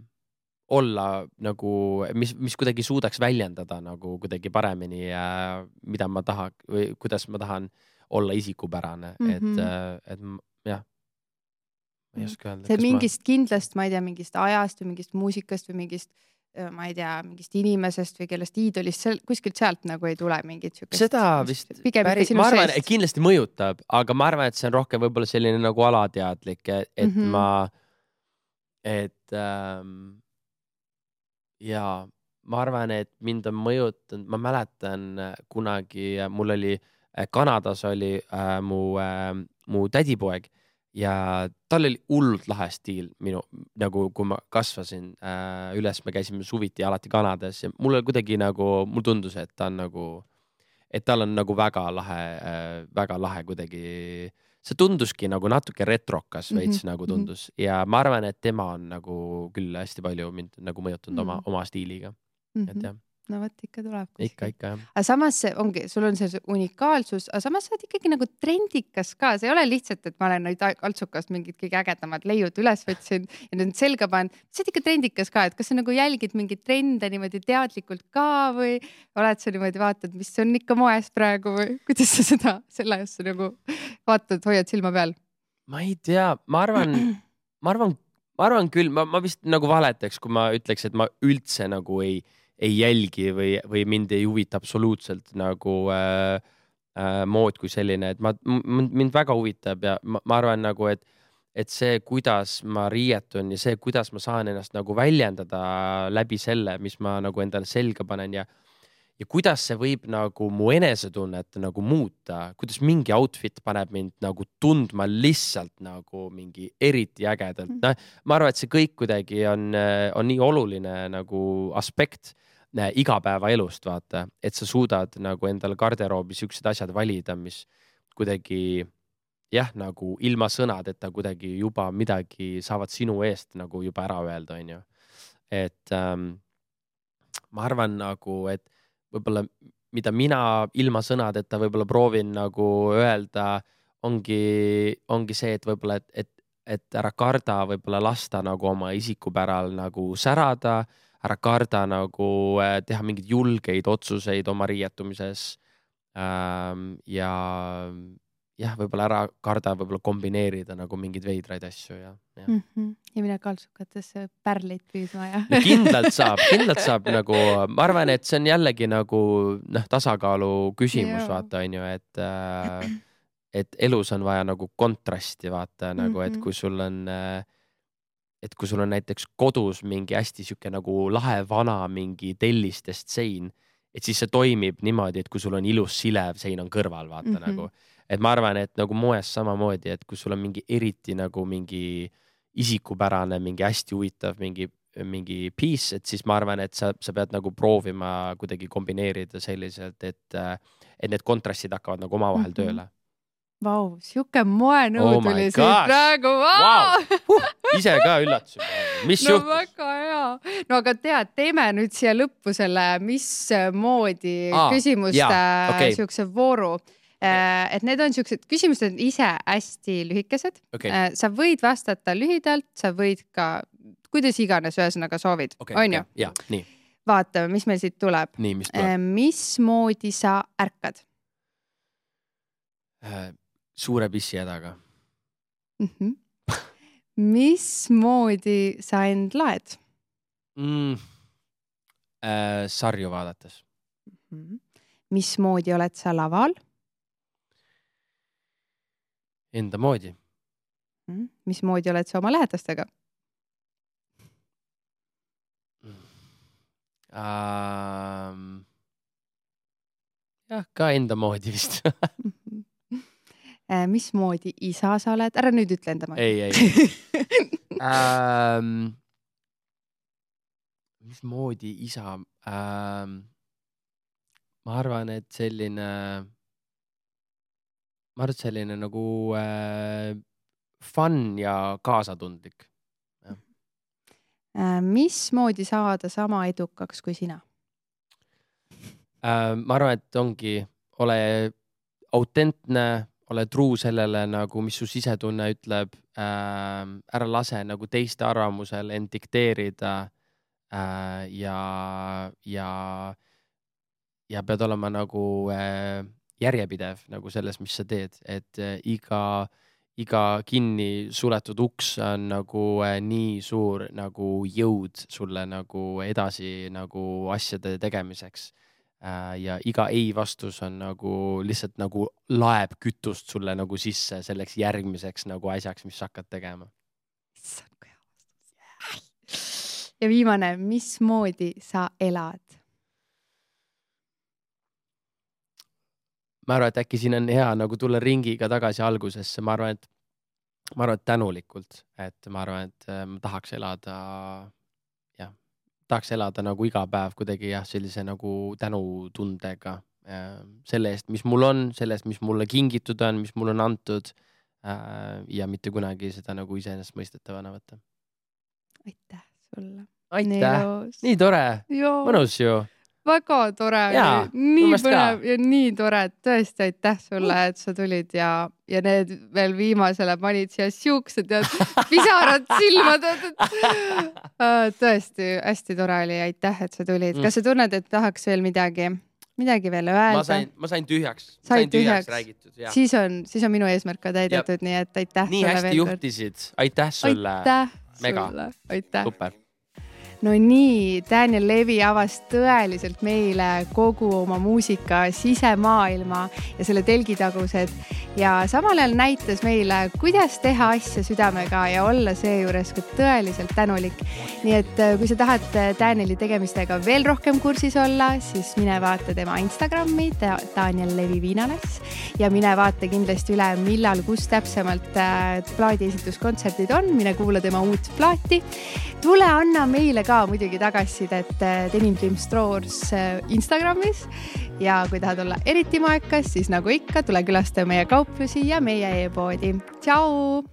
olla nagu, mis, mis kuidagi suudaks väljendada nagu kuidagi paremini äh, mida ma tahan või kuidas ma tahan olla isikupärane, mm-hmm. et, et jah, ma ei oska öelda. See mingist ma... kindlast, ma ei tea, mingist ajast või mingist muusikast või mingist ma ei tea, mingist inimesest või kellest iidolist, kuskilt sealt nagu ei tule mingit siukest. Seda vist päris, ma arvan, et kindlasti mõjutab, aga ma arvan, et see on rohkem võib-olla selline nagu alateadlik, et mm-hmm. ma, et ähm, ja ma arvan, et mind on mõjutanud, ma mäletan kunagi, mul oli, Kanadas oli äh, mu, äh, mu tädipoeg ja tal oli hullult lahe stiil minu, nagu kui ma kasvasin äh, üles, me käisime suviti alati Kanadas ja mul oli kuidagi nagu, mul tundus, et ta on nagu, et tal on nagu väga lahe äh,, väga lahe kuidagi, see tunduski nagu natuke retrokas veits mm-hmm. nagu tundus ja ma arvan, et tema on nagu küll hästi palju mind nagu mõjutanud mm-hmm. oma, oma stiiliga, mm-hmm. et jah. no vot ikka tuleb. Ikka, ikka jah. Aga samas see ongi, sul on see unikaalsus, aga samas sa oled ikkagi nagu trendikas ka. See ei ole lihtsalt, et ma olen nüüd Altsukast mingid kõige ägedamad leiud üles võtsin ja nüüd selga panen. Sa oled ikka trendikas ka, et kas sa nagu jälgid mingid trende niimoodi teadlikult ka või oled sa niimoodi vaatad, mis on ikka moes praegu või kuidas sa seda, selle just nagu vaatad, hoiad silma peal? Ma ei tea, ma arvan, ma arvan, ma arvan küll, ma, ma vist nagu valetaks, kui ma ütleks, et ma üldse nagu ei ei jälgi või, või mind ei huvita absoluutselt nagu äh, äh, mood kui selline, et ma, mind väga huvitab ja ma, ma arvan nagu, et, et see, kuidas ma riietun ja see, kuidas ma saan ennast nagu väljendada läbi selle, mis ma nagu endale selga panen ja, ja kuidas see võib nagu mu enesetunnet nagu muuta, kuidas mingi outfit paneb mind nagu tundma lihtsalt nagu mingi eriti ägedalt. No, ma arvan, et see kõik kuidagi on, on nii oluline nagu aspekt igapäevaelust, vaata, et sa suudad nagu endale garderoobi siuksed asjad valida, mis kuidagi jah, nagu ilma sõnadeta kuidagi juba midagi saavad sinu eest nagu juba ära öelda, on ju. Et ähm, ma arvan nagu, et võib-olla mida mina ilma sõnadeta võib-olla proovin nagu öelda, ongi, ongi see, et võib-olla, et, et, et ära karda võib-olla lasta nagu oma isikupäral nagu särada, ära karda nagu teha mingeid julgeid otsuseid oma riietumises ähm, ja jah, võib-olla ära karda võib-olla kombineerida nagu mingeid veidraid asju ja, ja. Mm -hmm. ja mine Altsukatesse pärleid püüdma ja no kindlalt saab, kindlalt saab nagu, ma arvan, et see on jällegi nagu noh, tasakaalu küsimus, vaata, on ju, et äh, et elus on vaja nagu kontrasti, vaata, nagu, et kui sul on äh, et kui sul on näiteks kodus mingi hästi siuke nagu lahe vana mingi tellistest sein, et siis see toimib niimoodi, et kui sul on ilus silev sein on kõrval, vaata mm -hmm. nagu, et ma arvan, et nagu moes samamoodi, et kui sul on mingi eriti nagu mingi isikupärane, mingi hästi huvitav, mingi, mingi piece, et siis ma arvan, et sa, sa pead nagu proovima kuidagi kombineerida selliselt, et, et need kontrastid hakkavad nagu omavahel mm -hmm. tööle. Vau, siuke moenõu oh tuli siit praegu. Wow. Wow. Ise ka üllatasin. Mis no juhtus? väga hea. No aga tead, teeme nüüd siia lõppu selle, mis moodi ah, küsimuste okay. siukse vooru. Et need on siuksed küsimused ise hästi lühikesed. Okay. Sa võid vastata lühidalt, sa võid ka, kuidas iganes ühesõnaga soovid. Okay, on okay. ju? Ja, nii. Vaatame, mis meil siit tuleb. Nii, mis tuleb? Mismoodi sa ärkad? Suure pissi hädaga. Mm -hmm. Mismoodi sa end laed? Mm, äh, sarju vaadates. Mm -hmm. Mismoodi oled sa laval? Enda moodi. Mm -hmm. Mismoodi oled sa oma lähedastega? Um, jah, ka enda moodi vist. Mismoodi isa sa oled? Ära nüüd ütle enda moodi. Ei, ei. um, mismoodi isa? Um, ma arvan, et selline, ma arvan, et selline nagu äh, fun ja kaasatundlik. Ja. Uh, mismoodi saada sama edukaks kui sina? Uh, ma arvan, et ongi, ole autentne, ole truu sellele, nagu mis su sisetunne ütleb, äh, ära lase nagu teiste arvamusel end dikteerida äh, ja, ja, ja pead olema nagu äh, järjepidev nagu selles, mis sa teed, et äh, iga, iga kinni suletud uks on nagu äh, nii suur nagu jõud sulle nagu edasi nagu asjade tegemiseks. Ja iga ei vastus on nagu lihtsalt nagu laeb kütust sulle nagu sisse selleks järgmiseks nagu asjaks, mis sa hakkad tegema. Ja viimane, mismoodi sa elad? Ma arvan, et äkki siin on hea nagu tulla ringiga tagasi algusesse. Ma arvan, et, ma arvan, et tänulikult, et ma arvan, et ma tahaks elada tahaks elada nagu iga päev kuidagi jah, sellise nagu tänutundega selle eest, mis mul on, selle eest, mis mulle kingitud on, mis mul on antud ja mitte kunagi seda nagu iseenesest mõistetavana võtta. Aitäh sulle. Aitäh, nii tore, mõnus ju. väga tore Jaa, oli, nii umbes põnev ka. ja nii tore, et tõesti aitäh sulle, et sa tulid ja, ja need veel viimasele panid siia siuksed ja pisarad silmad. Tõesti hästi tore oli, aitäh, et sa tulid. Kas sa tunned, et tahaks veel midagi, midagi veel öelda? Ma sain, ma sain tühjaks. Sain sain tühjaks, tühjaks. räägitud. Ja. Siis on, siis on minu eesmärk ka täidetud, nii et aitäh nii sulle hästi veel juhtisid. Aitäh sulle. Aitäh Mega. sulle. Aitäh. Super. No nii, Daniel Levi avas tõeliselt meile kogu oma muusika sisemaailma ja selle telgitagused ja samal ajal näitas meile, kuidas teha asja südamega ja olla seejuures ka tõeliselt tänulik. Nii et kui sa tahad Danieli tegemistega veel rohkem kursis olla, siis mine vaata tema Instagrami, Daniel Levi Viinales ja mine vaata kindlasti üle, millal, kus täpsemalt plaadi esituskontserdid on, mine kuula tema uut plaati. Tule anna meile ka muidugi tagasisidet Denim Dream Stores Instagramis ja kui tahad olla eriti maekas, siis nagu ikka, tule külasta meie kauplusi ja meie e-poodi. Tšau!